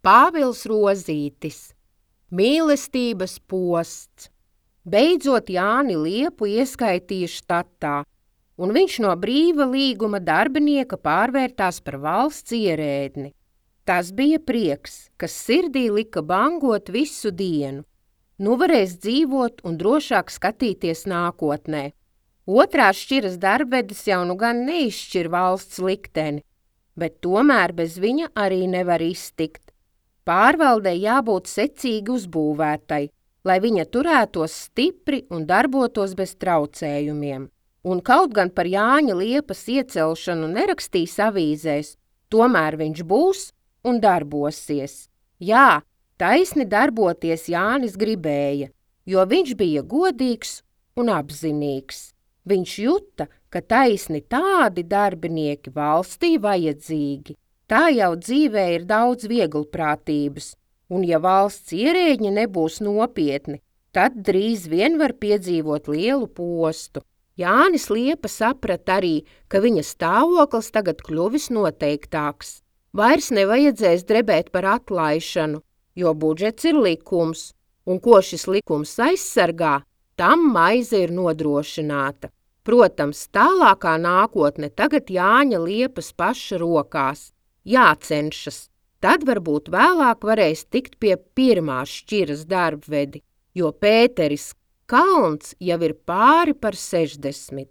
Pāvils Rozītis. Mīlestības posts. Beidzot Jāni Liepu ieskaitīja štatā, un viņš no brīva līguma darbinieka pārvērtās par valsts ierēdni. Tas bija prieks, kas sirdī lika bangot visu dienu. Nu varēs dzīvot un drošāk skatīties nākotnē. Otrās šķiras darbvedis jau nu gan neizšķir valsts likteni, bet tomēr bez viņa arī nevar iztikt. Pārvaldei jābūt secīgi uzbūvētai, lai viņa turētos stipri un darbotos bez traucējumiem. Un kaut gan par Jāņa Liepas iecelšanu nerakstīs avīzēs, tomēr viņš būs un darbosies. Jā, taisni darboties Jānis gribēja, jo viņš bija godīgs un apzinīgs. Viņš juta, ka taisni tādi darbinieki valstī vajadzīgi. Tā jau dzīvē ir daudz vieglprātības, un ja valsts ierēģi nebūs nopietni, tad drīz vien var piedzīvot lielu postu. Jānis Liepa saprata arī, ka viņa stāvoklis tagad kļuvis noteiktāks. Vairs nevajadzēs drebēt par atlaišanu, jo budžets ir likums, un ko šis likums aizsargā, tam maize ir nodrošināta. Protams, tālākā nākotne tagad Jāņa Liepas paša rokās. Jācenšas, tad varbūt vēlāk varēs tikt pie pirmās šķiras darbvedi, jo Pēteris Kalns jau ir pāri par 60.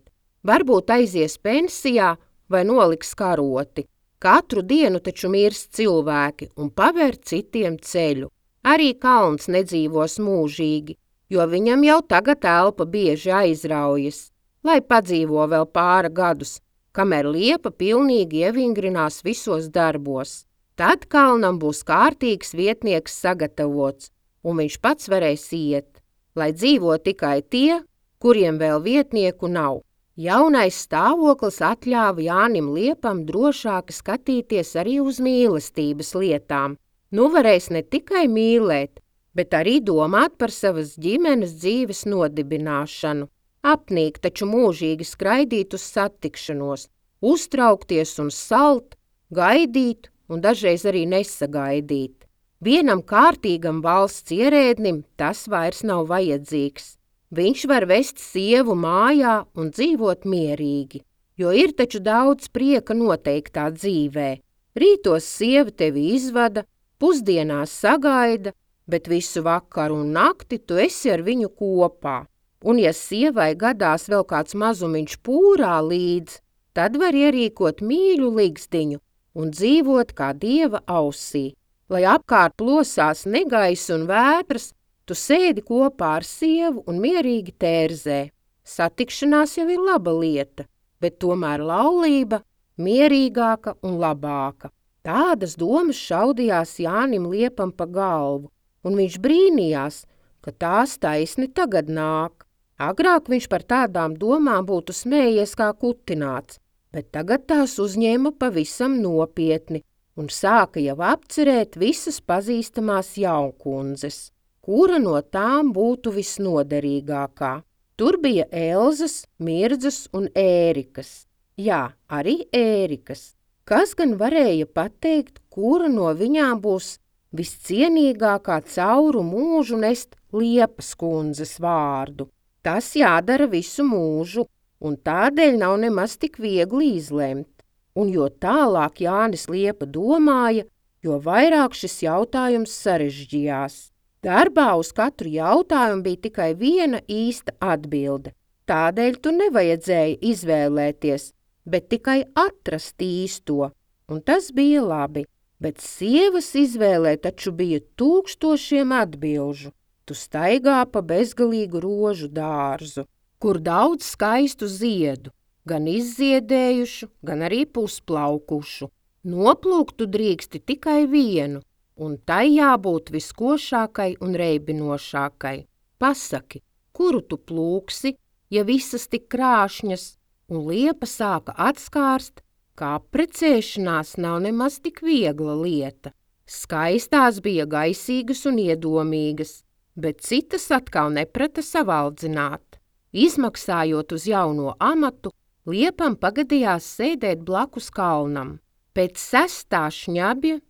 Varbūt aizies pensijā vai noliks karoti. Katru dienu taču mirst cilvēki un paver citiem ceļu. Arī Kalns nedzīvos mūžīgi, jo viņam jau tagad elpa bieži aizraujas, lai padzīvo vēl pāra gadus, kamēr Liepa pilnīgi ievingrinās visos darbos. Tad Kalnam būs kārtīgs vietnieks sagatavots, un viņš pats varēs iet, lai dzīvo tikai tie, kuriem vēl vietnieku nav. Jaunais stāvoklis atļāva Jānim Liepam drošāk skatīties arī uz mīlestības lietām. Nu varēs ne tikai mīlēt, bet arī domāt par savas ģimenes dzīves nodibināšanu. Apnīk taču mūžīgi skraidīt uz satikšanos, uztraukties un salt, gaidīt un dažreiz arī nesagaidīt. Vienam kārtīgam valsts ierēdnim tas vairs nav vajadzīgs. Viņš var vest sievu mājā un dzīvot mierīgi, jo ir taču daudz prieka noteiktā dzīvē. Rītos sieva tevi izvada, pusdienās sagaida, bet visu vakaru un nakti tu esi ar viņu kopā. Un ja sievai gadās vēl kāds mazumiņš pūrā līdz, tad var ierīkot mīļu ligzdiņu un dzīvot kā dieva ausī. Lai apkārt plosās negaiss un vētras, tu sēdi kopā ar sievu un mierīgi tērzē. Satikšanās jau ir laba lieta, bet tomēr laulība mierīgāka un labāka. Tādas domas šaudījās Jānim Liepam pa galvu, un viņš brīnījās, ka tās taisni tagad nāk. Agrāk viņš par tādām domām būtu smējies kā kutināts, bet tagad tās uzņēma pavisam nopietni un sāka jau apcerēt visas pazīstamās jaunkundzes, kura no tām būtu visnoderīgākā. Tur bija Elzas, Mirdzas un Ērikas. Jā, arī Ērikas. Kas gan varēja pateikt, kura no viņām būs viscienīgākā cauru mūžu nest Liepas kundzes vārdu? Tas jādara visu mūžu, un tādēļ nav nemaz tik viegli izlemt. Un jo tālāk Jānis Liepa domāja, jo vairāk šis jautājums sarežģījās. Darbā uz katru jautājumu bija tikai viena īsta atbilde. Tādēļ tu nevajadzēja izvēlēties, bet tikai atrast īsto, un tas bija labi. Bet sievas izvēlē taču bija tūkstošiem atbilžu. Tu staigā pa bezgalīgu rožu dārzu, kur daudz skaistu ziedu, gan izziedējušu, gan arī pusplaukušu. Noplūkt tu drīksti tikai vienu, un tai jābūt viskošākai un reibinošākai. Pasaki, kuru tu plūksi, ja visas tik krāšņas, un Liepa sāka atskārst, ka apprecēšanās nav nemaz tik viegla lieta. Skaistās bija gaisīgas un iedomīgas, bet citas atkal neprata savaldzināt. Izmaksājot uz jauno amatu, Liepam pagadījās sēdēt blakus Kalnam. Pēc 6. šņabja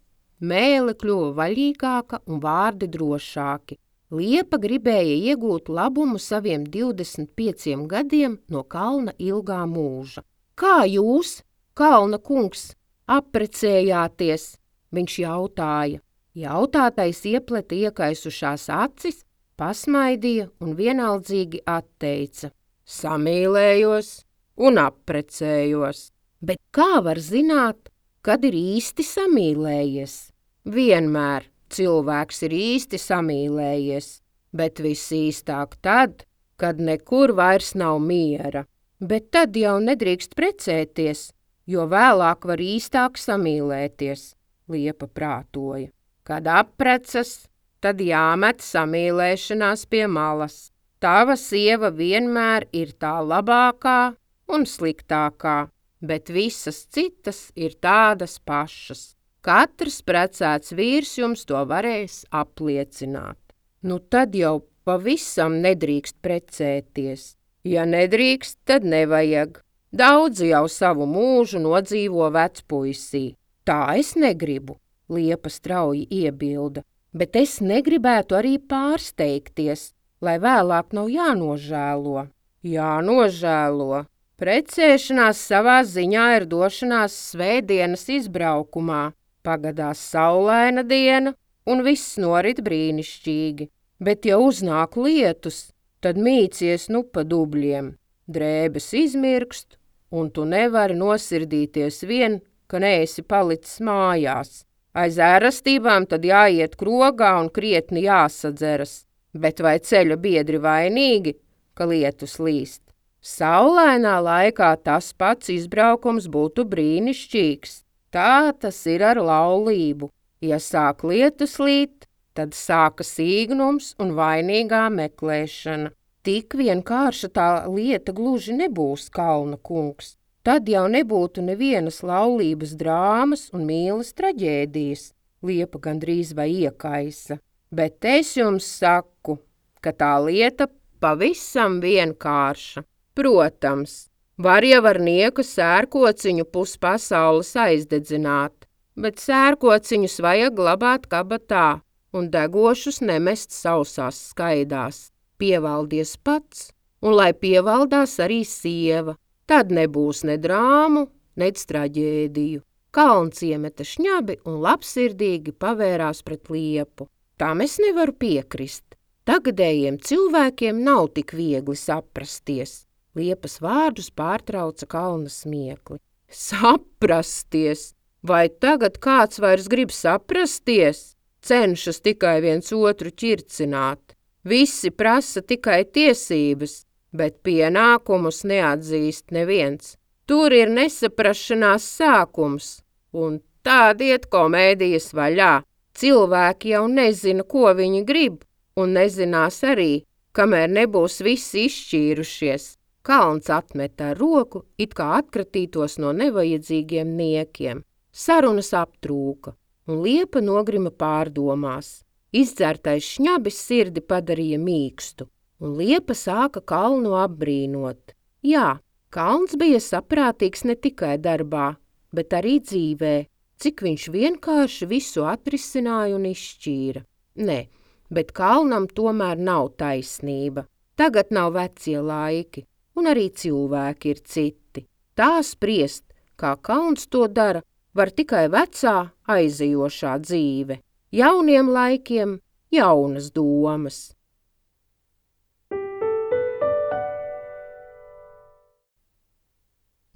Mēle kļuva vaļīgāka un vārdi drošāki. Liepa gribēja iegūt labumu saviem 25 gadiem no kalna ilgā mūža. Kā jūs, kalna kungs, apprecējāties? Viņš jautāja. Jautātais iepleta iekaisušās acis, pasmaidīja un vienaldzīgi atteica. Samīlējos un apprecējos. Bet kā var zināt, kad ir īsti samīlējies? Vienmēr cilvēks ir īsti samīlējies, bet visīstāk tad, kad nekur vairs nav miera. Bet tad jau nedrīkst precēties, jo vēlāk var īstāk samīlēties, Liepa prātoja. Kad apprecas, tad jāmet samīlēšanās pie malas. Tava sieva vienmēr ir tā labākā un sliktākā, bet visas citas ir tādas pašas. Katrs precēts vīrs jums to varēs apliecināt. Nu tad jau pavisam nedrīkst precēties. Ja nedrīkst, tad nevajag. Daudzi jau savu mūžu nodzīvo vecpuisī. Tā es negribu, Liepa strauji iebilda, bet es negribētu arī pārsteigties, lai vēlāk nav jānožēlo. Jānožēlo. Precēšanās savā ziņā ir došanās svētdienas izbraukumā. Pagadās saulaina diena un viss norit brīnišķīgi. Bet ja uznāk lietus, tad mīcies nu pa dubļiem. Drēbes izmirkst un tu nevari nosirdīties vien, ka neesi palicis mājās. Aiz ērastībām tad jāiet krogā un krietni jāsadzeras. Bet vai ceļa biedri vainīgi, ka lietus līst? Saulainā laikā tas pats izbraukums būtu brīnišķīgs. Tā tas ir ar laulību. Ja sāk lietus līt, tad sākas īgnums un vainīgā meklēšana. Tik vienkārša tā lieta gluži nebūs, kalna kungs. Tad jau nebūtu nevienas laulības drāmas un mīles traģēdijas, Liepa gandrīz vai iekaisa. Bet es jums saku, ka tā lieta pavisam vienkārša. Protams, var jau ar nieku sērkociņu puspasaules aizdedzināt, bet sērkociņus vajag glabāt kabatā un degošus nemest sausās skaidās. Pievaldies pats, un lai pievaldās arī sieva. Tad nebūs ne drāmu, ne traģēdiju. Kalns iemeta šņabi un labsirdīgi pavērās pret Liepu. Tam es nevaru piekrist. Tagadējiem cilvēkiem nav tik viegli saprasties. Liepas vārdus pārtrauca kalna smiekli. Saprasties? Vai tagad kāds vairs grib saprasties? Cenšas tikai viens otru ķircināt. Visi prasa tikai tiesības, bet pienākumus neatzīst neviens. Tur ir nesaprašanās sākums, un tād iet komēdijas vaļā. Cilvēki jau nezina, ko viņi grib, un nezinās arī, kamēr nebūs visi izšķīrušies. Kalns atmeta ar roku, it kā atkratītos no nevajadzīgiem niekiem. Sarunas aptrūka, un Liepa nogrima pārdomās. Izdzertais šņabis sirdi padarīja mīkstu, un Liepa sāka kalnu apbrīnot. Jā, kalns bija saprātīgs ne tikai darbā, bet arī dzīvē, cik viņš vienkārši visu atrisināja un izšķīra. Nē, bet kalnam tomēr nav taisnība. Tagad nav vecie laiki, un arī cilvēki ir citi. Tā spriest, kā kalns to dara, var tikai vecā, aizejošā dzīve. Jauniem laikiem jaunas domas.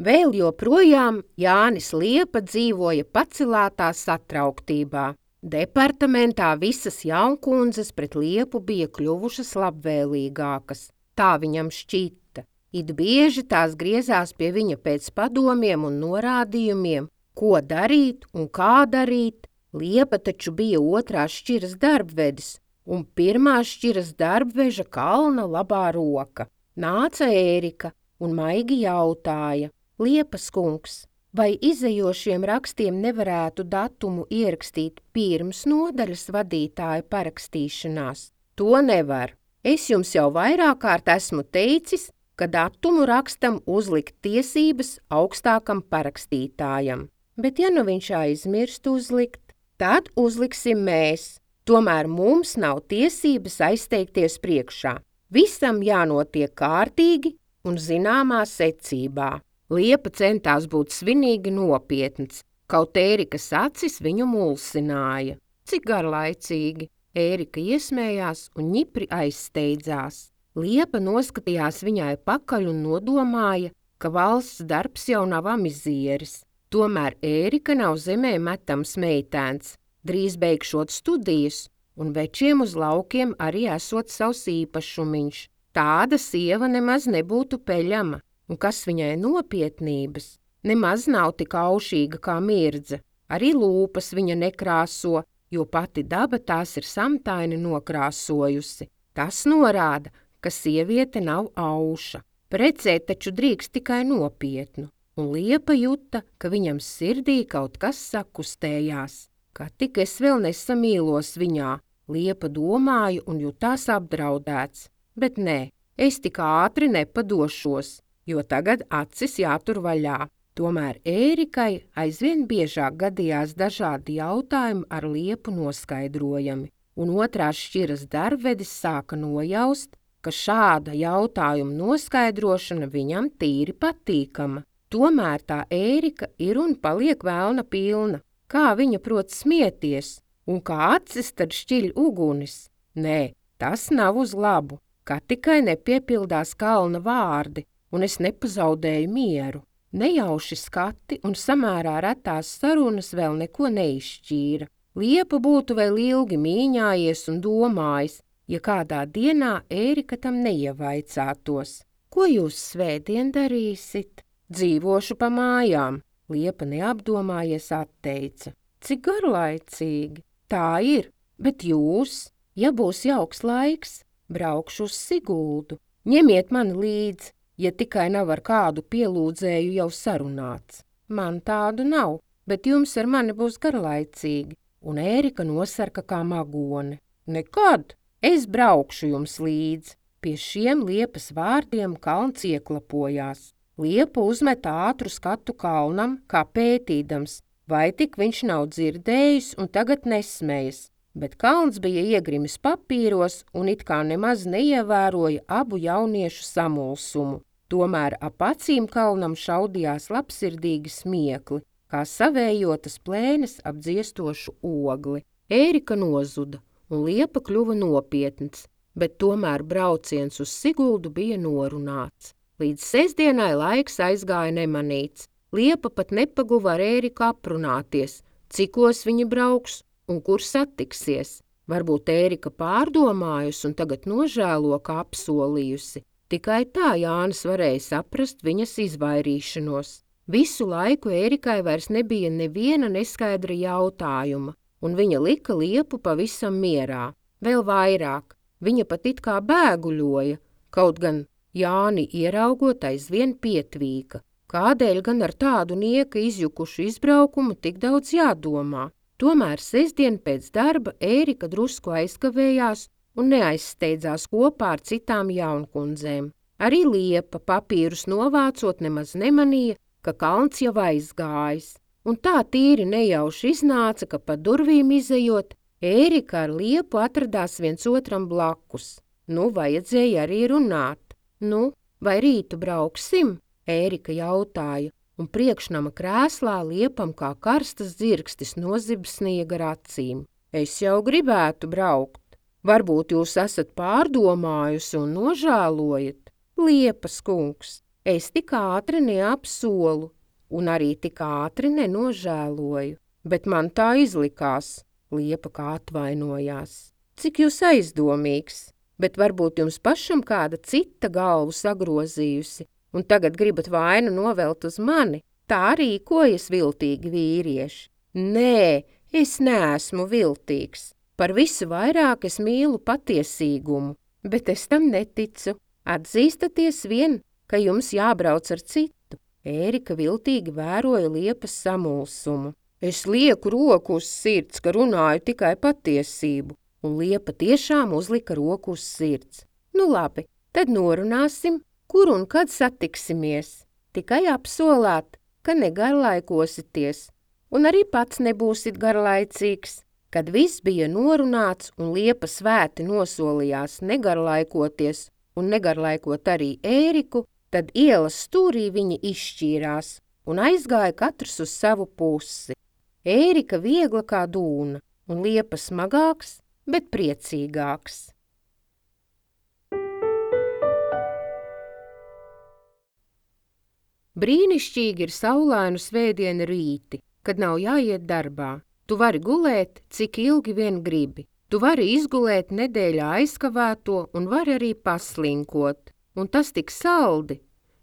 Vēl joprojām Jānis Liepa dzīvoja pacelātā satrauktībā. Departamentā visas jaunkundzes pret Liepu bija kļuvušas labvēlīgākas. Tā viņam šķita. It bieži tās griezās pie viņa pēc padomiem un norādījumiem, ko darīt un kā darīt. Liepa taču bija otrās šķiras darbvedis, un pirmās šķiras darbveža kalna labā roka. Nāca Ērika un maigi jautāja: Liepas kungs, vai izejošiem rakstiem nevarētu datumu ierakstīt pirms nodaļas vadītāja parakstīšanās? To nevar. Es jums jau vairāk kārt esmu teicis, ka datumu rakstam uzlikt tiesības augstākam parakstītājam. Bet ja nu viņš aizmirst uzlikt, tad uzliksim mēs. Tomēr mums nav tiesības aizteikties priekšā. Visam jānotiek kārtīgi un zināmā secībā. Liepa centās būt svinīgi nopietns, kaut Ērikas acis viņu mulsināja. Cik garlaicīgi! Ērika iesmējās un ņipri aizsteidzās. Liepa noskatījās viņai pakaļ un nodomāja, ka valsts darbs jau nav amizieris. Tomēr Ērika nav zemē metams meitēns, drīz beigšot studijas, un večiem uz laukiem arī esot savs īpašumiņš. Tāda sieva nemaz nebūtu peļama, un kas viņai nopietnības, nemaz nav tik aušīga kā Mirdze. Arī lūpas viņa nekrāso, jo pati daba tās ir samtaini nokrāsojusi. Tas norāda, ka sieviete nav auša. Precēt taču drīkst tikai nopietnu, un Liepa juta, ka viņam sirdī kaut kas sakustējās. Kā tik es vēl nesamīlos viņā, Liepa domāja un jutās apdraudēts. Bet nē, es tik ātri nepadošos, jo tagad acis jātur vaļā. Tomēr Ērikai aizvien biežāk gadījās dažādi jautājumi ar Liepu noskaidrojami, un otrās šķiras darbvedis sāka nojaust, ka šāda jautājuma noskaidrošana viņam tīri patīkama. Tomēr tā Ērika ir un paliek velna pilna. Kā viņa prot smieties, un kā acis tad šķiļ ugunis? Nē, tas nav uz labu, kā tikai nepiepildās kalna vārdi, un es nepazaudēju mieru. Nejauši skati un samērā retās sarunas vēl neko neizšķīra. Liepa būtu vēl ilgi mīņājies un domājis, ja kādā dienā Ērika tam neievaicātos. Ko jūs svētdien darīsit? Dzīvošu pa mājām, Liepa neapdomājies atteica. Cik garlaicīgi. Tā ir, bet jūs, ja būs jauks laiks, braukšu uz Siguldu. Ņemiet mani līdzi, ja tikai nav ar kādu pielūdzēju jau sarunāts. Man tādu nav, bet jums ar mani būs garlaicīgi, un Ērika nosarka kā magone. Nekad, es braukšu jums līdzi. Pie šiem Liepas vārdiem kalns ieklapojās. Liepa uzmeta ātru skatu kalnam, kā pētīdams, vai tik viņš nav dzirdējis un tagad nesmējas, bet kalns bija iegrimis papīros un it kā nemaz neievēroja abu jauniešu samulsumu. Tomēr ap acīm kalnam šaudījās labsirdīgi smiekli, kā savējotas plēnes ap dziestošu ogli. Ērika nozuda, un Liepa kļuva nopietns, bet tomēr brauciens uz Siguldu bija norunāts. Līdz sestdienai laiks aizgāja nemanīts. Liepa pat nepaguva ar Ēriku aprunāties, cikos viņi brauks un kur satiksies. Varbūt Ērika pārdomājusi un tagad nožēlo, kā apsolījusi. Tikai tā Jānis varēja saprast viņas izvairīšanos. Visu laiku Ērikai vairs nebija neviena neskaidra jautājuma, un viņa lika Liepu pavisam mierā. Vēl vairāk, viņa pat it kā bēguļoja, kaut gan Jāni ieraugot aizvien pietvīka. Kādēļ gan ar tādu nieka izjukušu izbraukumu tik daudz jādomā? Tomēr sestdien pēc darba Ērika drusku aizkavējās un neaizsteidzās kopā ar citām jaunkundzēm. Arī Liepa papīrus novācot nemaz nemanīja, ka kalns jau aizgājis. Un tā tīri nejauši iznāca, ka pa durvīm izejot, Ērika ar Liepu atradās viens otram blakus. Vajadzēja arī runāt. Vai rītu brauksim? Ērika jautāja, un priekšnama krēslā Liepam kā karstas dzirkstis nozibsnīja gar acīm. Es jau gribētu braukt. Varbūt jūs esat pārdomājusi un nožēlojat? Liepas kungs, es tik ātri neapsolu, un arī tik ātri nenožēloju, bet man tā izlikās, Liepa kā atvainojās. Cik jūs aizdomīgs? Bet varbūt jums pašam kāda cita galvu sagrozījusi, un tagad gribat vainu novelt uz mani? Tā rīkojas viltīgi vīrieši. Nē, es neesmu viltīgs. Par visu vairāk es mīlu patiesīgumu, bet es tam neticu. Atzīstaties vien, ka jums jābrauc ar citu. Ērika viltīgi vēroja Liepas samulsumu. Es lieku roku uz sirds, ka runāju tikai patiesību. Un Liepa tiešām uzlika roku uz sirds. Labi, tad norunāsim, kur un kad satiksimies. Tikai apsolāt, ka negarlaikosities. un arī pats nebūsit garlaicīgs. Kad viss bija norunāts un Liepa svēti nosolījās negarlaikoties un negarlaikot arī Ēriku, tad ielas stūrī viņi izšķīrās un aizgāja katrs uz savu pusi. Ērika viegla kā dūna un Liepa smagāks, bet priecīgāks. Brīnišķīgi ir saulainu svētdienu rīti, kad nav jāiet darbā. Tu vari gulēt, cik ilgi vien gribi. Tu vari izgulēt nedēļā aizkavēto un vari arī paslinkot. Un tas tik saldi,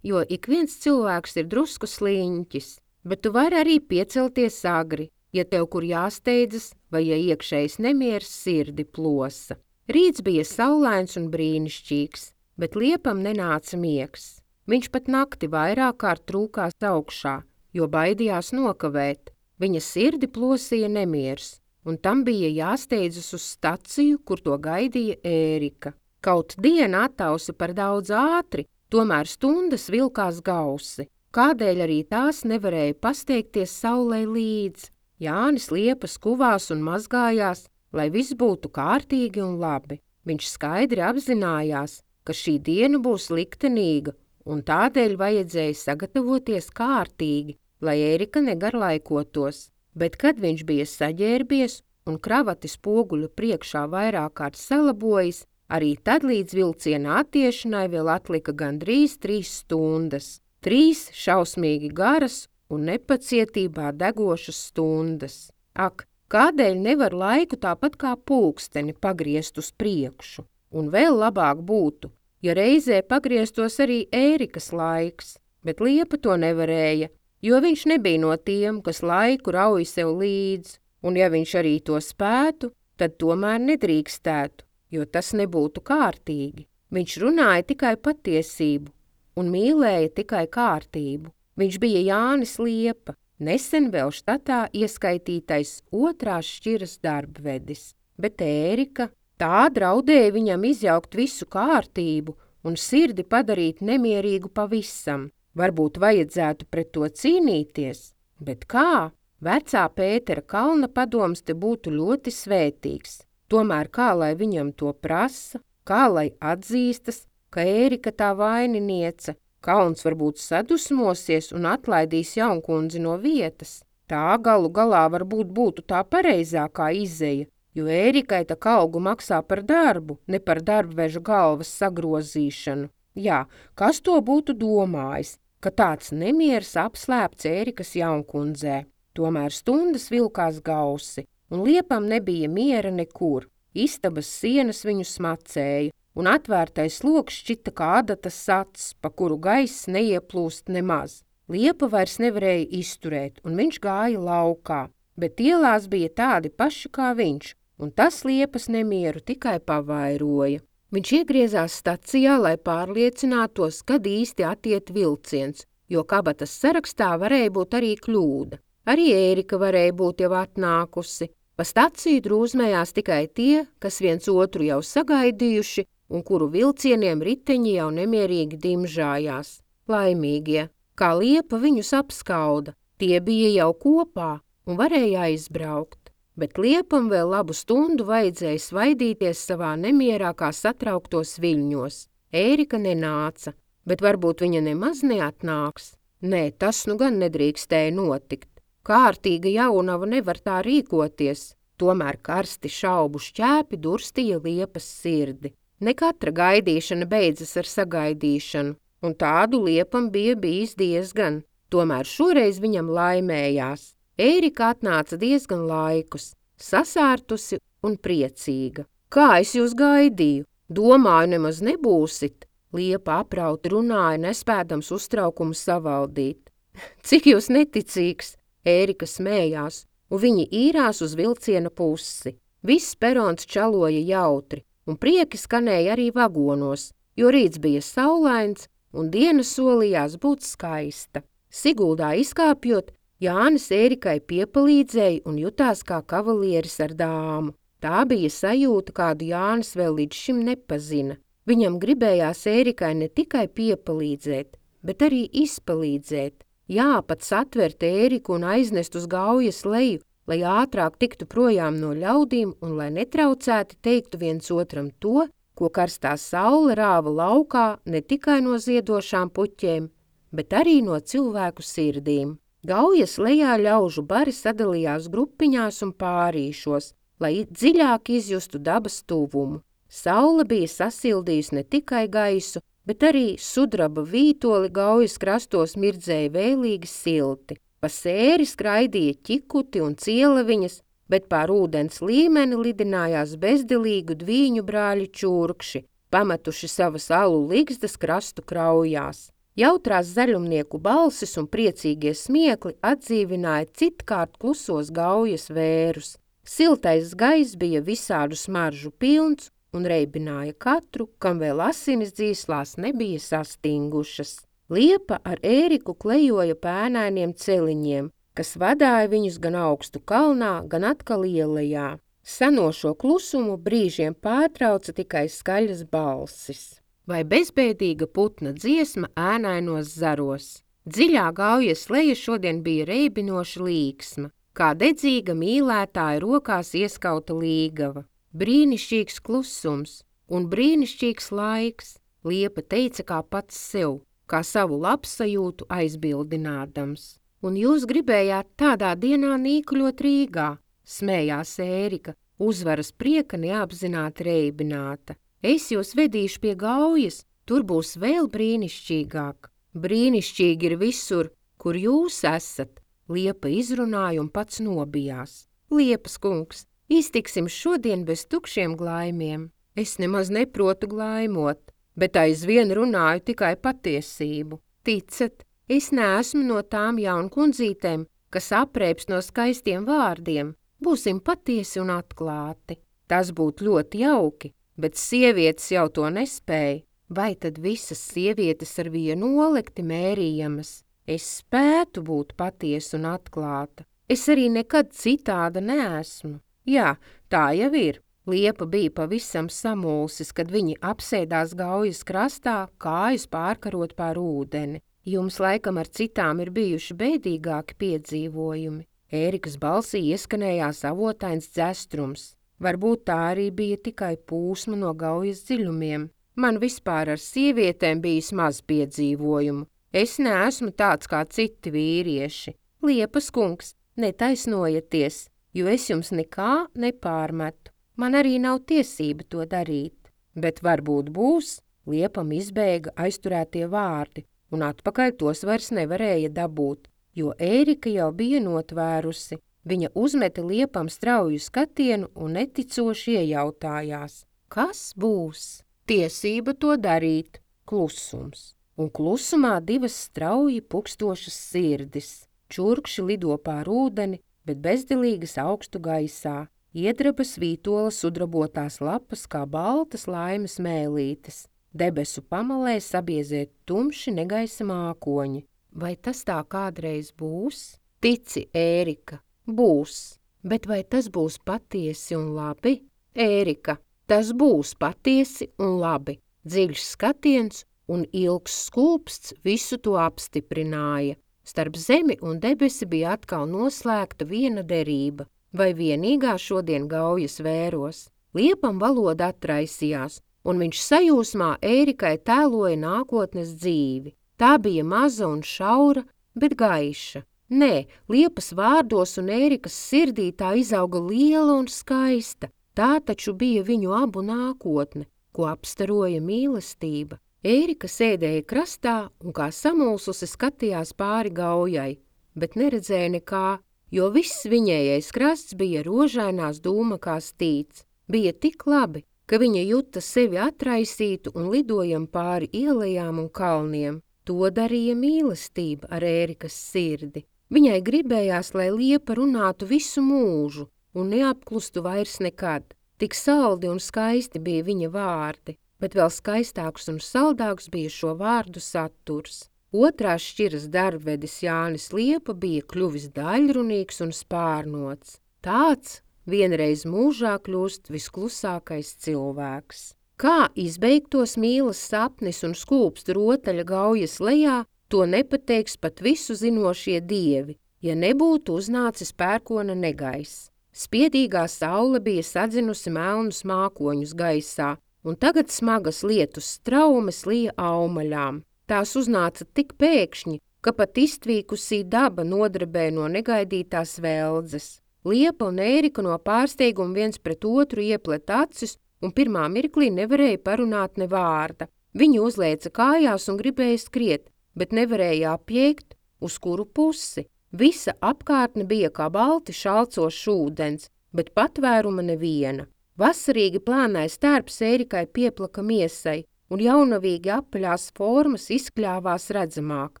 jo ik viens cilvēks ir drusku sliņķis. Bet tu vari arī piecelties agri, ja tev kur jāsteidzas vai ja iekšējs nemieris sirdi plosa. Rīts bija saulains un brīnišķīgs, bet Liepam nenāca miegs. Viņš pat nakti vairāk kārt trūkās augšā, jo baidījās nokavēt. Viņa sirdi plosīja nemieris, un tam bija jāsteidzas uz staciju, kur to gaidīja Ērika. Kaut diena attausa par daudz ātri, tomēr stundas vilkās gausi. Kādēļ arī tās nevarēja pasteigties saulei līdz? Jānis Liepa skuvās un mazgājās, lai viss būtu kārtīgi un labi. Viņš skaidri apzinājās, ka šī diena būs liktenīga, un tādēļ vajadzēja sagatavoties kārtīgi, lai Ērika negarlaikotos. Bet kad viņš bija saģērbies un kravati spoguļu priekšā vairāk kārt salabojis, arī tad līdz vilciena attiešanai vēl atlika gandrīz 3 stundas. 3 šausmīgi garas un nepacietībā degošas stundas. Ak, kādēļ nevar laiku tāpat kā pulksteni pagriezt uz priekšu? Un vēl labāk būtu, ja reizē pagrieztos arī Ērikas laiks, bet Liepa to nevarēja, jo viņš nebija no tiem, kas laiku rauj sev līdz, un ja viņš arī to spētu, tad tomēr nedrīkstētu, jo tas nebūtu kārtīgi. Viņš runāja tikai patiesību un mīlēja tikai kārtību. Viņš bija Jānis Liepa, nesen vēl štatā ieskaitītais 2. šķiras darbvedis, bet Ērika tā draudēja viņam izjaukt visu kārtību un sirdi padarīt nemierīgu pavisam. Varbūt vajadzētu pret to cīnīties, bet kā? Vecā Pētera Kalna padoms te būtu ļoti svētīgs. Tomēr kā lai viņam to prasa, kā lai atzīstas, ka Ērika tā vaininiece? Kalns varbūt sadusmosies un atlaidīs jaunkundzi no vietas. Tā galu galā varbūt būtu tā pareizākā izeja, jo Ērikai tā algu maksā par darbu, ne par darbveža galvas sagrozīšanu. Jā, kas to būtu domājis, ka tāds nemieris apslēpts Ērikas jaunkundzē? Tomēr stundas vilkās gausi, un Liepam nebija miera nekur. Istabas sienas viņu smacēja, un atvērtais loks šķita kā adatas acs, pa kuru gaiss neieplūst nemaz. Liepa vairs nevarēja izturēt, un viņš gāja laukā, bet ielās bija tādi paši kā viņš, un tas Liepas nemieru tikai pavairoja. Viņš iegriezās stacijā, lai pārliecinātos, kad īsti attiet vilciens, jo kabatas sarakstā varēja būt arī kļūda. Arī Ērika varēja būt jau atnākusi. Pa staciju drūzmējās tikai tie, kas viens otru jau sagaidījuši un kuru vilcieniem riteņi jau nemierīgi dimžājās. Laimīgie, kā Liepa viņus apskauda, tie bija jau kopā un varēja aizbraukt. Bet Liepam vēl labu stundu vajadzēja svaidīties savā nemierā kā satrauktos viļņos. Ērika nenāca, bet varbūt viņa nemaz neatnāks. Nē, tas nu gan nedrīkstēja notikt. Kārtīga jaunava nevar tā rīkoties, tomēr karsti šaubu šķēpi durstīja Liepas sirdi. Ne katra gaidīšana beidzas ar sagaidīšanu, un tādu Liepam bija bijis diezgan. Tomēr šoreiz viņam laimējās. Ērika atnāca diezgan laikus, sasārtusi un priecīga. Kā es jūs gaidīju? Domāju, nemaz nebūsit. Liepa aprauti runāja, nespēdams uztraukumu savaldīt. Cik jūs neticīgs? Ērika smējās, un viņi īrās uz vilciena pusi. Viss perons čaloja jautri, un prieki skanēja arī vagonos, jo rīts bija saulains, un diena solījās būt skaista. Siguldā izkāpjot, Jānis Ērikai piepalīdzēja un jutās kā kavalieris ar dāmu. Tā bija sajūta, kādu Jānis vēl līdz šim nepazina. Viņam gribējās Ērikai ne tikai piepalīdzēt, bet arī izpalīdzēt. Jāpats atvert Ēriku un aiznest uz Gaujas leju, lai ātrāk tiktu projām no ļaudīm un lai netraucēti teiktu viens otram to, ko karstā saule rāva laukā ne tikai no ziedošām puķēm, bet arī no cilvēku sirdīm. Gaujas lejā ļaužu bari sadalījās grupiņās un pārīšos, lai dziļāk izjustu dabas tuvumu. Saule bija sasildījusi ne tikai gaisu, bet arī sudraba vītoli Gaujas krastos mirdzēja vēlīgi silti. Pa sēri skraidīja ķikuti un cieleviņas, bet pār ūdens līmeni lidinājās bezdelīgu dvīņu brāļi čurkši, pametuši savas alu ligzdas krastu kraujās. Jautrās zaļumnieku balsis un priecīgie smiekli atdzīvināja citkārt klusos Gaujas vērus. Siltais gaiss bija visādu smaržu pilns un reibināja katru, kam vēl asinis dzīslās nebija sastingušas. Liepa ar Ēriku klejoja pēnainiem celiņiem, kas vadāja viņus gan augstu kalnā, gan atkal ielejā. Sanošo klusumu brīžiem pārtrauca tikai skaļas balsis. Vai bezbēdīga putna dziesma ēnainos zaros. Dziļā Gaujas leja šodien bija reibinoša līksma, kā dedzīga mīlētāja rokās ieskauta līgava. Brīnišķīgs klusums un brīnišķīgs laiks, Liepa teica kā pats sev, kā savu labsajūtu aizbildinādams. Un jūs gribējāt tādā dienā nīkuļot Rīgā, smējās Ērika, uzvaras prieka neapzināti reibināta. Es jūs vedīšu pie Gaujas, tur būs vēl brīnišķīgāk. Brīnišķīgi ir visur, kur jūs esat, Liepa izrunāja un pats nobijās. Liepas kungs, iztiksim šodien bez tukšiem glaimiem. Es nemaz neprotu glaimot, bet aizvien runāju tikai patiesību. Ticat, es neesmu no tām jaunkundzītēm, kas aprēps no skaistiem vārdiem. Būsim patiesi un atklāti. Tas būtu ļoti jauki, bet sievietes jau to nespēja. Vai tad visas sievietes ar vienu olekti mērījamas? Es spētu būt patiesa un atklāta. Es arī nekad citāda neesmu. Jā, tā jau ir. Liepa bija pavisam samulsis, kad viņi apsēdās Gaujas krastā, kājas pārkarot pār ūdeni. Jums laikam ar citām ir bijuši bēdīgāki piedzīvojumi. Ērikas balsī ieskanējās avotains dzestrums. Varbūt tā arī bija tikai pūsma no Gaujas dziļumiem. Man vispār ar sievietēm bijis maz piedzīvojumu. Es neesmu tāds kā citi vīrieši. Liepas kungs, netaisnojieties, jo es jums nekā nepārmetu. Man arī nav tiesība to darīt. Bet varbūt būs, Liepam izbēga aizturētie vārdi, un atpakaļ tos vairs nevarēja dabūt, jo Ērika jau bija notvērusi. Viņa uzmeta Liepam strauju skatienu un neticoši iejautājās. Kas būs? Tiesība to darīt. Klusums. Un klusumā divas strauji pukstošas sirdis. Čurkši lido pār ūdeni, bet bezdelīgas augstu gaisā. Iedrabas vītola sudrabotās lapas kā baltas laimes mēlītes. Debesu pamalē sabiezēt tumši negaisa mākoņi. Vai tas tā kādreiz būs? Tici, Ērika, būs. Bet vai tas būs patiesi un labi? Ērika, tas būs patiesi un labi. Dziļš skatiens un ilgs skūpsts visu to apstiprināja. Starp zemi un debesi bija atkal noslēgta viena derība. Vai vienīgā šodien Gaujas vēros. Liepam valoda atraisījās, un viņš sajūsmā Ērikai tēloja nākotnes dzīvi. Tā bija maza un šaura, bet gaiša. Nē, Liepas vārdos un Ērikas sirdī tā izauga liela un skaista. Tā taču bija viņu abu nākotne, ko apstaroja mīlestība. Ērika sēdēja krastā un kā samulsusi skatījās pāri Gaujai, bet neredzēja nekā, jo viss viņējais krasts bija rožainās dūmakās tīts. Bija tik labi, ka viņa juta sevi atraisītu un lidojam pāri ielejām un kalniem. To darīja mīlestība ar Ērikas sirdi. Viņai gribējās, lai Liepa runātu visu mūžu un neapklustu vairs nekad. Tik saldi un skaisti bija viņa vārdi, bet vēl skaistāks un saldāks bija šo vārdu saturs. Otrās šķiras darbvedis Jānis Liepa bija kļuvis daļrunīgs un spārnots. Tāds vienreiz mūžā kļūst visklusākais cilvēks. Kā izbeigtos mīlas sapnis un skūpstu rotaļa Gaujas lejā, To nepateiks pat visu zinošie dievi, ja nebūtu uznācis pērkona negaiss. Spiedīgā saule bija sadzinusi melnus mākoņus gaisā, un tagad smagas lietus straumes lija aumaļām. Tās uznāca tik pēkšņi, ka pat iztvīkusī daba nodrebē no negaidītās veldzes. Liepa un Ērika no pārsteiguma viens pret otru ieplet acis un pirmā mirklī nevarēja parunāt ne vārda. Viņi uzlēca kājās un gribēja skriet, bet nevarēja apjēgt, uz kuru pusi. Visa apkārtne bija kā balti šalcošs ūdens, bet patvēruma neviena. Vasarīgi plānais tērps Ērikai pieplaka miesai, un jaunavīgi apaļās formas izkļāvās redzamāk.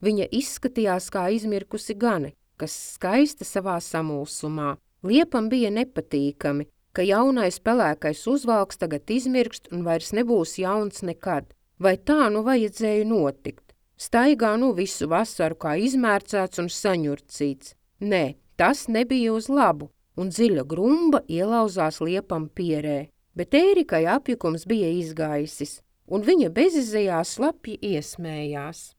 Viņa izskatījās kā izmirkusi gane, kas skaista savā samulsumā. Liepam bija nepatīkami, ka jaunais pelēkais uzvalks tagad izmirkst un vairs nebūs jauns nekad. Vai tā nu vajadzēja notikt? Staigā nu visu vasaru kā izmērcēts un saņurcīts. Nē, tas nebija uz labu, un dziļa grumba ielauzās Liepam pierē. Bet Ērikai apjukums bija izgaisis, un viņa bezizejā slapji iesmējās.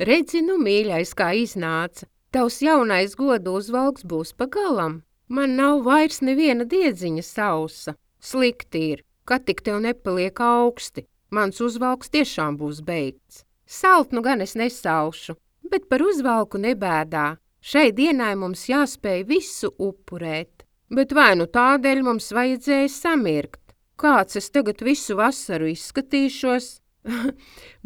Redzi, nu mīļais, kā iznāca. Tavs jaunais godu uzvalks būs pagalam. Man nav vairs neviena diedziņa sausa. Slikti ir, ka tik tev nepaliek augsti. Mans uzvalks tiešām būs beigts. Salt nu gan es nesaušu, bet par uzvalku nebēdā. Šai dienai mums jāspēj visu upurēt. Bet vai nu tādēļ mums vajadzēja samirkt? Kāds es tagad visu vasaru izskatīšos?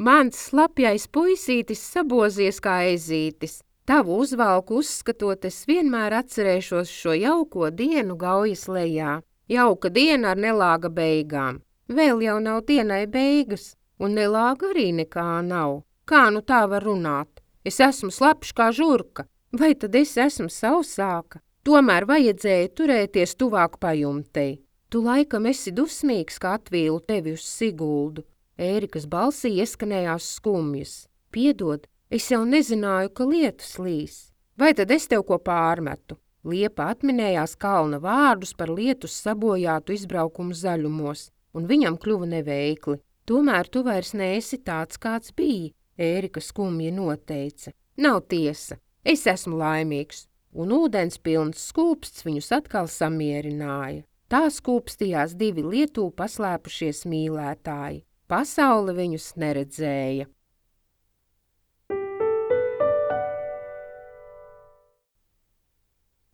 Mans slapjais puisītis sabozies kā ezītis. Tavu uzvalku uzskatot, es vienmēr atcerēšos šo jauko dienu Gaujas lejā. Jauka diena ar nelāga beigām. Vēl jau nav dienai beigas, un nelāga arī nekā nav. Kā nu tā var runāt? Es esmu slapš kā žurka, vai tad es esmu sausāka? Tomēr vajadzēja turēties tuvāk pajumtei. Tu laikam esi dusmīgs, ka atvīlu tevi uz Siguldu. Ērikas balsī ieskanējās skumjas. Piedod, es jau nezināju, ka lietus līs. Vai tad es tev ko pārmetu? Liepa atminējās kalna vārdus par lietus sabojātu izbraukumu zaļumos, un viņam kļuva neveikli. Tomēr tu vairs neesi tāds, kāds bija, Ērika skumji noteica. Nav tiesa, es esmu laimīgs, un ūdens pilns skūpsts viņus atkal samierināja. Tā skūpstījās divi Lietū paslēpušies mīlētāji. Pasaule viņus neredzēja.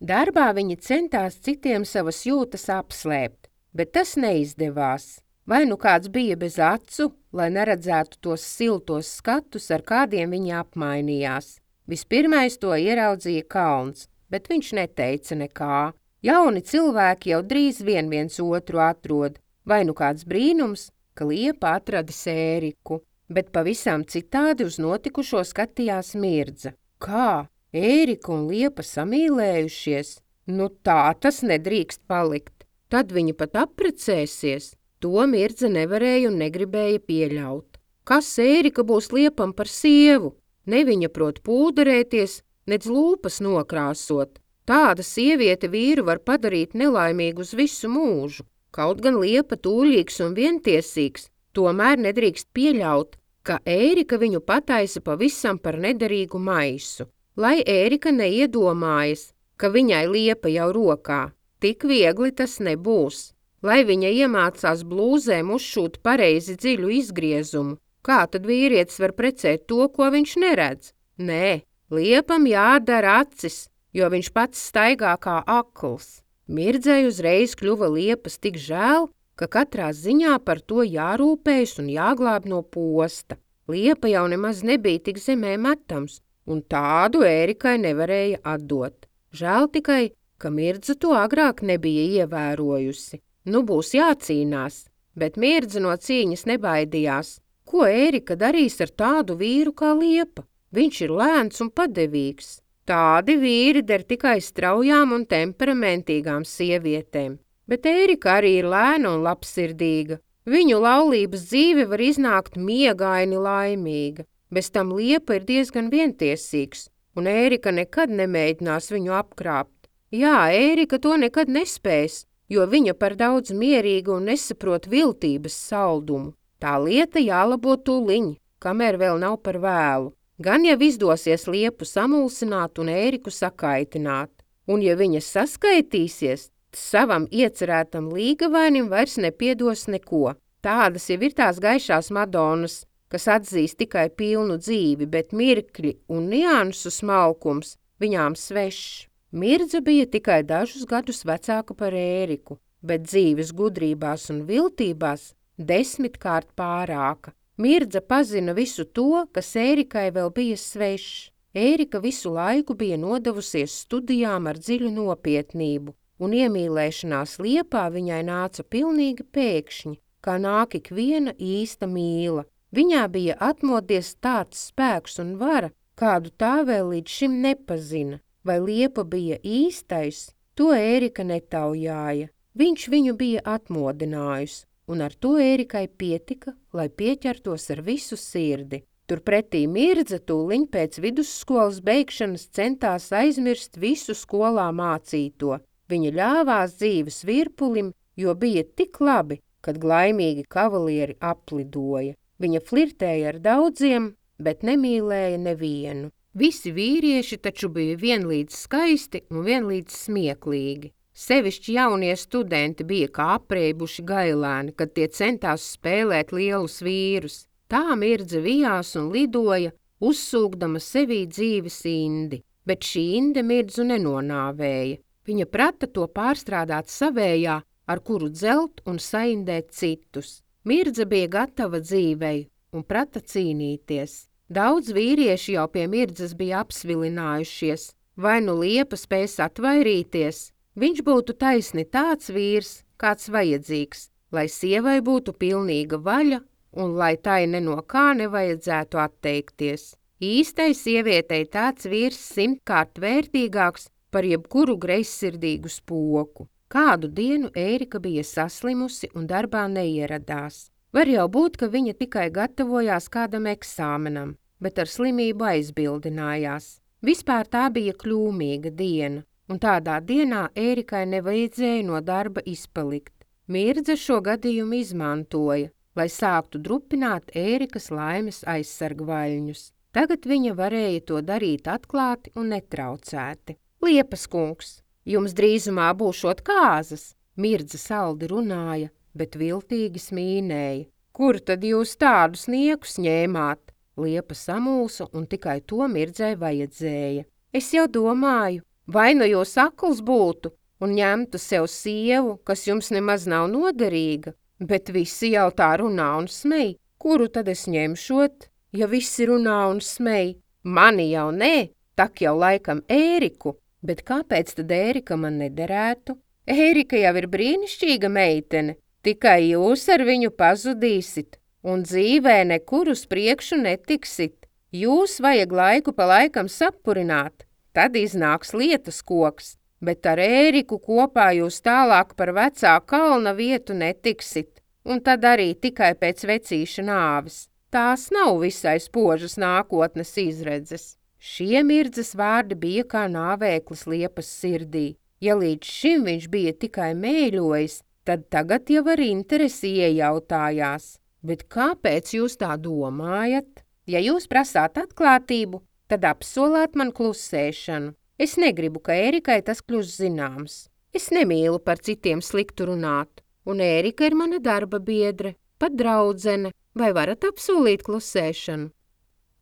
Darbā viņi centās citiem savas jūtas apslēpt, bet tas neizdevās. Vai nu kāds bija bez acu, lai neredzētu tos siltos skatus, ar kādiem viņi apmainījās. Vispirmais to ieraudzīja Kalns, bet viņš neteica nekā. Jauni cilvēki jau drīz viens otru atrod, vai nu kāds brīnums, ka Liepa atradis Ēriku, bet pavisam citādi uz notikušo skatījās Mirdza. Kā? Ērika un Liepa samīlējušies? Nu tā tas nedrīkst palikt. Tad viņi pat apprecēsies. To Mirdza nevarēja un negribēja pieļaut. Kas Ērika būs Liepam par sievu? Ne viņa prot pūderēties, nedz lūpas nokrāsot. Tāda sieviete vīru var padarīt nelaimīgu uz visu mūžu. Kaut gan Liepa tūlīgs un vientiesīgs, tomēr nedrīkst pieļaut, ka Ērika viņu pataisa pavisam par nederīgu maisu. Lai Ērika neiedomājas, ka viņai Liepa jau rokā, tik viegli tas nebūs. Lai viņa iemācās blūzēm uzšūt pareizi dziļu izgriezumu, kā tad vīrietis var precēt to, ko viņš neredz? Nē, Liepam jādara acis, jo viņš pats staigā kā akls. Mirdzei uzreiz kļuva Liepas tik žēl, ka katrā ziņā par to jārūpējas un jāglāb no posta. Liepa jau nemaz nebija tik zemē metams, un tādu Ērikai nevarēja atdot. Žēl tikai, ka Mirdza to agrāk nebija ievērojusi. Nu būs jācīnās, bet Mirdza no cīņas nebaidījās. Ko Ērika darīs ar tādu vīru kā Liepa? Viņš ir lēns un padevīgs. Tādi vīri der tikai straujām un temperamentīgām sievietēm, bet Ērika arī ir lēna un labsirdīga. Viņu laulības dzīve var iznākt miegaini laimīga. Bez tam Liepa ir diezgan vientiesīgs, un Ērika nekad nemēģinās viņu apkrāpt. Jā, Ērika to nekad nespēs, jo viņa par daudz mierīga un nesaprot viltības saldumu. Tā lieta jālabo tūliņ, kamēr vēl nav par vēlu. Gan jau izdosies liepu samulsināt un Ēriku sakaitināt, un ja viņa saskaitīsies, savam iecerētam līgavainim vairs nepiedos neko. Tādas jau ir tās gaišās madonas, kas atzīst tikai pilnu dzīvi, bet mirkļi un niansu smalkums viņām svešs. Mirdza bija tikai dažus gadus vecāka par Ēriku, bet dzīves gudrībās un viltībās 10-kārt pārāka. Mirdza pazina visu to, kas Ērikai vēl bija svešs. Ērika visu laiku bija nodevusies studijām ar dziļu nopietnību, un iemīlēšanās liepā viņai nāca pilnīgi pēkšņi, kā nāk ikviena īsta mīla. Viņā bija atmodies tāds spēks un vara, kādu tā vēl līdz šim nepazina. Vai liepa bija īstais, to Ērika netaujāja. Viņš viņu bija atmodinājusi, un ar to Ērikai pietika, lai pieķertos ar visu sirdi. Turpretī Mirdza tūliņ pēc vidusskolas beigšanas centās aizmirst visu skolā mācīto. Viņa ļāvās dzīves virpulim, jo bija tik labi, kad glaimīgi kavalieri aplidoja. Viņa flirtēja ar daudziem, bet nemīlēja nevienu. Visi vīrieši taču bija vienlīdz skaisti un vienlīdz smieklīgi. Sevišķi jaunie studenti bija kā apreibuši gailēni, kad tie centās spēlēt lielus vīrus. Tā Mirdza vijās un lidoja, uzsūkdama sevī dzīves indi, bet šī inde Mirdzu nenonāvēja. Viņa prata to pārstrādāt savējā, ar kuru dzelt un saindēt citus. Mirdza bija gatava dzīvei un prata cīnīties. Daudz vīrieši jau pie Mirdzas bija apsvilinājušies, vai nu liepa spēs atvairīties. Viņš būtu taisni tāds vīrs, kāds vajadzīgs, lai sievai būtu pilnīga vaļa un lai tai ne no kā nevajadzētu atteikties. Īstai sievietei tāds vīrs 100-kārt vērtīgāks par jebkuru greizsirdīgu spoku. Kādu dienu Ērika bija saslimusi un darbā neieradās. Var jau būt, ka viņa tikai gatavojās kādam eksāmenam, bet ar slimību aizbildinājās. Vispār tā bija kļūmīga diena, un tādā dienā Ērikai nevajadzēja no darba izpalikt. Mirdza šo gadījumu izmantoja, lai sāktu drupināt Ērikas laimes aizsargvaļņus. Tagad viņa varēja to darīt atklāti un netraucēti. Liepas kungs, jums drīzumā būšot kāzas, Mirdza saldi runāja, bet viltīgi smīnēja. Kur tad jūs tādus niekus ņēmāt? Liepa samulsa un tikai to Mirdzai vajadzēja. Es jau domāju, vai nu jūs akls būtu un ņemtu sev sievu, kas jums nemaz nav noderīga, bet visi jau tā runā un smej. Kuru tad es ņemšot, ja visi runā un smej? Mani jau nē, tak jau laikam Ēriku, bet kāpēc tad Ērika man nederētu? Ērika jau ir brīnišķīga meitene, tikai jūs ar viņu pazudīsit un dzīvē nekur uz priekšu netiksit. Jūs vajag laiku pa laikam sapurināt, tad iznāks lietas koks, bet ar Ēriku kopā jūs tālāk par vecā kalna vietu netiksit, un tad arī tikai pēc vecīša nāves. Tās nav visai spožas nākotnes izredzes. Šie Mirdzas vārdi bija kā nāvēklis Liepas sirdī. Ja līdz šim viņš bija tikai mēļojis, tad tagad jau ar interesi iejautājās. Bet kāpēc jūs tā domājat? Ja jūs prasāt atklātību, tad apsolāt man klusēšanu. Es negribu, ka Ērikai tas kļūst zināms. Es nemīlu par citiem sliktu runāt, un Ērika ir mana darba biedre, pat draudzene. Vai varat apsolīt klusēšanu?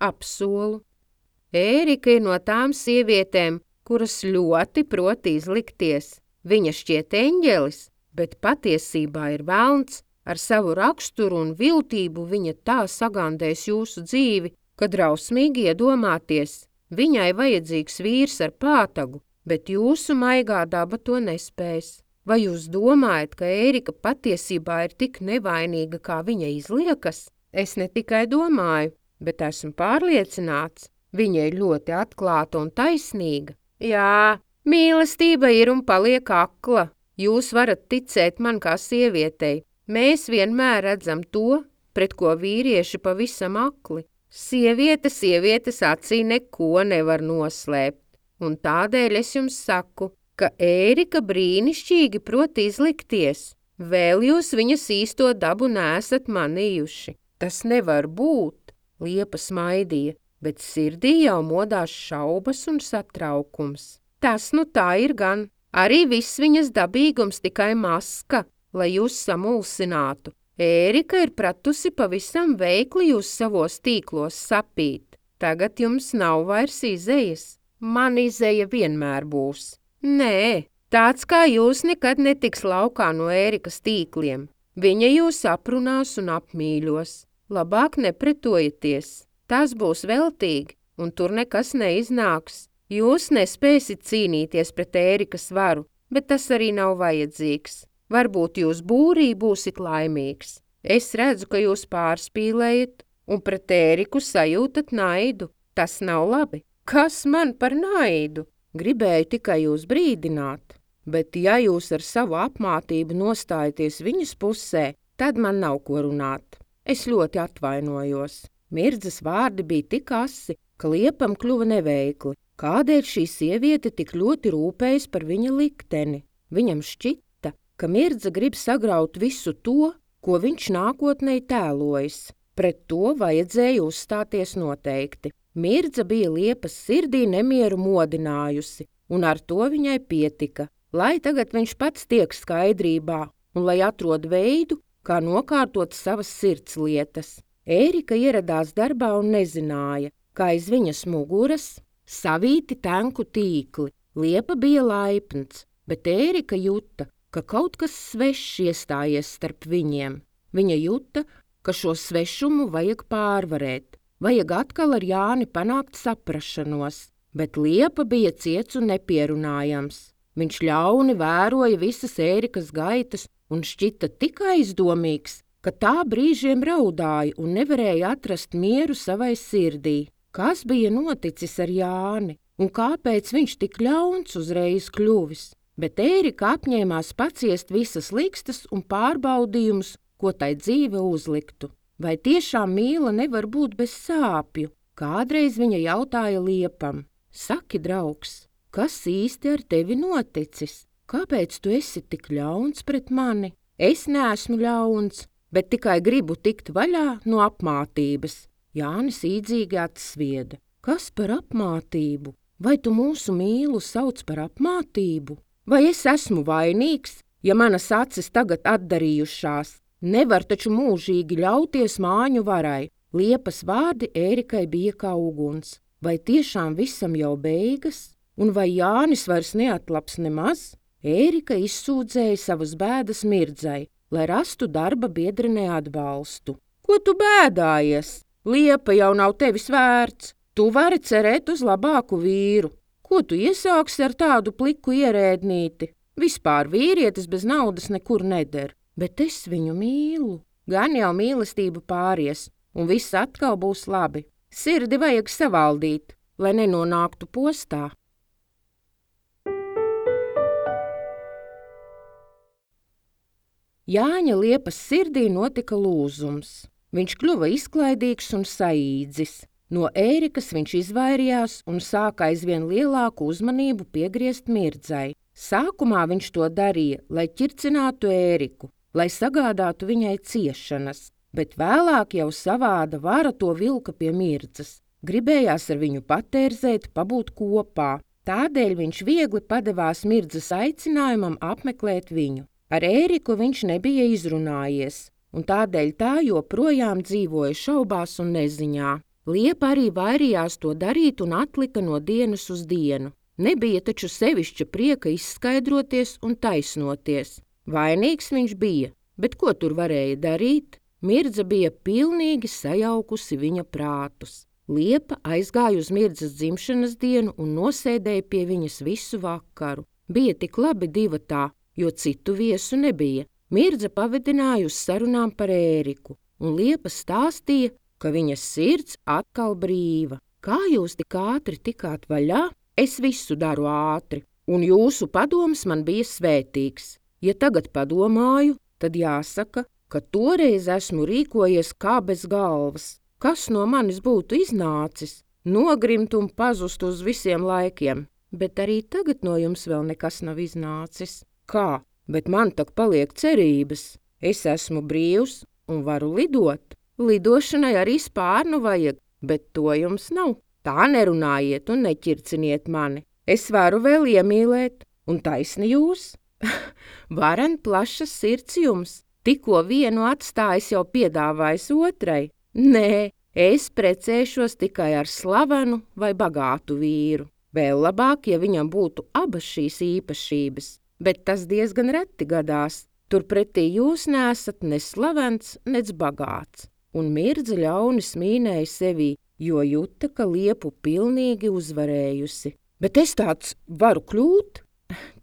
Apsolu. Ērika ir no tām sievietēm, kuras ļoti prot izlikties. Viņa šķiet eņģelis, bet patiesībā ir velns. Ar savu raksturu un viltību viņa tā sagandēs jūsu dzīvi, ka drausmīgi iedomāties. Viņai vajadzīgs vīrs ar pātagu, bet jūsu maigā daba to nespēs. Vai jūs domājat, ka Ērika patiesībā ir tik nevainīga, kā viņa izliekas? Es ne tikai domāju, bet esmu pārliecināts. Viņa ir ļoti atklāta un taisnīga. Jā, mīlestība ir un paliek akla. Jūs varat ticēt man kā sievietei. Mēs vienmēr redzam to, pret ko vīrieši pavisam akli. Sieviete acī neko nevar noslēpt. Un tādēļ es jums saku, ka Ērika brīnišķīgi prot izlikties. Vēl jūs viņas īsto dabu neesat manījuši. Tas nevar būt, Liepa smaidīja. bet sirdī jau modās šaubas un satraukums. Tas nu tā ir gan. Arī viss viņas dabīgums tikai maska, lai jūs samulsinātu. Ērika ir pratusi pavisam veikli jūs savos tīklos sapīt. Tagad jums nav vairs izejas. Man izeja vienmēr būs. Nē, tāds kā jūs nekad netiks laukā no Ērikas tīkliem. Viņa jūs aprunās un apmīļos. Labāk nepretojieties. Tas būs veltīgi, un tur nekas neiznāks. Jūs nespēsit cīnīties pret Ērikas varu, bet tas arī nav vajadzīgs. Varbūt jūs būrī būsit laimīgs. Es redzu, ka jūs pārspīlējat un pret Ēriku sajūtat naidu. Tas nav labi. Kas man par naidu? Gribēju tikai jūs brīdināt. Bet ja jūs ar savu apmātību nostājaties viņas pusē, tad man nav ko runāt. Es ļoti atvainojos. Mirdzas vārdi bija tik asi, ka Liepam kļuva neveikli. Kādēļ šī sieviete tik ļoti rūpējas par viņa likteni? Viņam šķita, ka Mirdza grib sagraut visu to, ko viņš nākotnē tēlojas. Pret to vajadzēja uzstāties noteikti. Mirdza bija Liepas sirdī nemieru modinājusi, un ar to viņai pietika, lai tagad viņš pats tiek skaidrībā un lai atrod veidu, kā nokārtot savas sirds lietas. Ērika ieradās darbā un nezināja, kā aiz viņas muguras savīti tenku tīkli. Liepa bija laipns, bet Ērika juta, ka kaut kas svešs iestājies starp viņiem. Viņa juta, ka šo svešumu vajag pārvarēt. Vajag atkal ar Jāni panākt saprašanos, bet Liepa bija ciets un nepierunājams. Viņš ļauni vēroja visas Ērikas gaitas un šķita tik aizdomīgs, ka tā brīžiem raudāja un nevarēja atrast mieru savai sirdī. Kas bija noticis ar Jāni un kāpēc viņš tik ļauns uzreiz kļuvis? Bet Ērika apņēmās paciest visas likstas un pārbaudījumus, ko tai dzīve uzliktu. Vai tiešām mīla nevar būt bez sāpju? Kādreiz viņa jautāja Liepam: Saki, draugs, kas īsti ar tevi noticis? Kāpēc tu esi tik ļauns pret mani? Es neesmu ļauns, bet tikai gribu tikt vaļā no apmātības. Jānis īdzīgi atsvieda. Kas par apmātību? Vai tu mūsu mīlu sauc par apmātību? Vai es esmu vainīgs, ja manas acis tagad atdarījušās? Nevar taču mūžīgi ļauties māņu varai. Liepas vārdi Ērikai bija kā uguns. Vai tiešām visam jau beigas? Un vai Jānis vairs neatlaps nemaz? Ērika izsūdzēja savas bēdas Mirdzai, lai rastu darba biedrenē atbalstu. Ko tu bēdājies? Liepa jau nav tevis vērts. Tu vari cerēt uz labāku vīru. Ko tu iesāksi ar tādu pliku ierēdnīti? Vispār vīrietis bez naudas nekur neder. Bet es viņu mīlu. Gan jau mīlestība pāries, un viss atkal būs labi. Sirdi vajag savaldīt, lai nenonāktu postā. Jāņa Liepas sirdī notika lūzums. Viņš kļuva izklaidīgs un saīdzis. No Ērikas viņš izvairījās un sāka aizvien lielāku uzmanību piegriezt Mirdzai. Sākumā viņš to darīja, lai ķircinātu Ēriku, lai sagādātu viņai ciešanas, bet vēlāk jau savāda vara to vilka pie Mirdzas. Gribējās ar viņu patērzēt, pabūt kopā. Tādēļ viņš viegli padevās Mirdzas aicinājumam apmeklēt viņu. Ar Ēriku viņš nebija izrunājies, un tādēļ tā joprojām dzīvoja šaubās un neziņā. Liepa arī vairījās to darīt un atlika no dienas uz dienu. Nebija taču sevišķa prieka izskaidroties un taisnoties. Vainīgs viņš bija, bet ko tur varēja darīt? Mirdza bija pilnīgi sajaukusi viņa prātus. Liepa aizgāja uz Mirdzas dzimšanas dienu un nosēdēja pie viņas visu vakaru. Bija tik labi divatā, jo citu viesu nebija. Mirdza pavedināja uz sarunām par Ēriku, un Liepa stāstīja, ka viņas sirds atkal brīva. Kā jūs tik ātri tikāt vaļā? Es visu daru ātri, un jūsu padoms man bija svētīgs. Ja tagad padomāju, tad jāsaka, ka toreiz esmu rīkojies kā bez galvas. Kas no manis būtu iznācis? Nogrimt un pazust uz visiem laikiem. Bet arī tagad no jums vēl nekas nav iznācis. Kā? Bet man tak paliek cerības. Es esmu brīvs un varu lidot. Lidošanai arī spārnu vajag. bet to jums nav. Tā nerunājiet un neķirciniet mani. Es varu vēl iemīlēt, un taisni jūs. Varen plašas sirds jums, tikko vienu atstājis jau piedāvājis otrai. Nē, es precēšos tikai ar slavenu vai bagātu vīru. Vēl labāk, ja viņam būtu abas šīs īpašības, bet tas diezgan reti gadās. Turpretī jūs neesat ne slavens, nec bagāts. Un Mirdza ļauni smīnēja sevī, jo juta, ka Liepu pilnīgi uzvarējusi. Bet es tāds varu kļūt?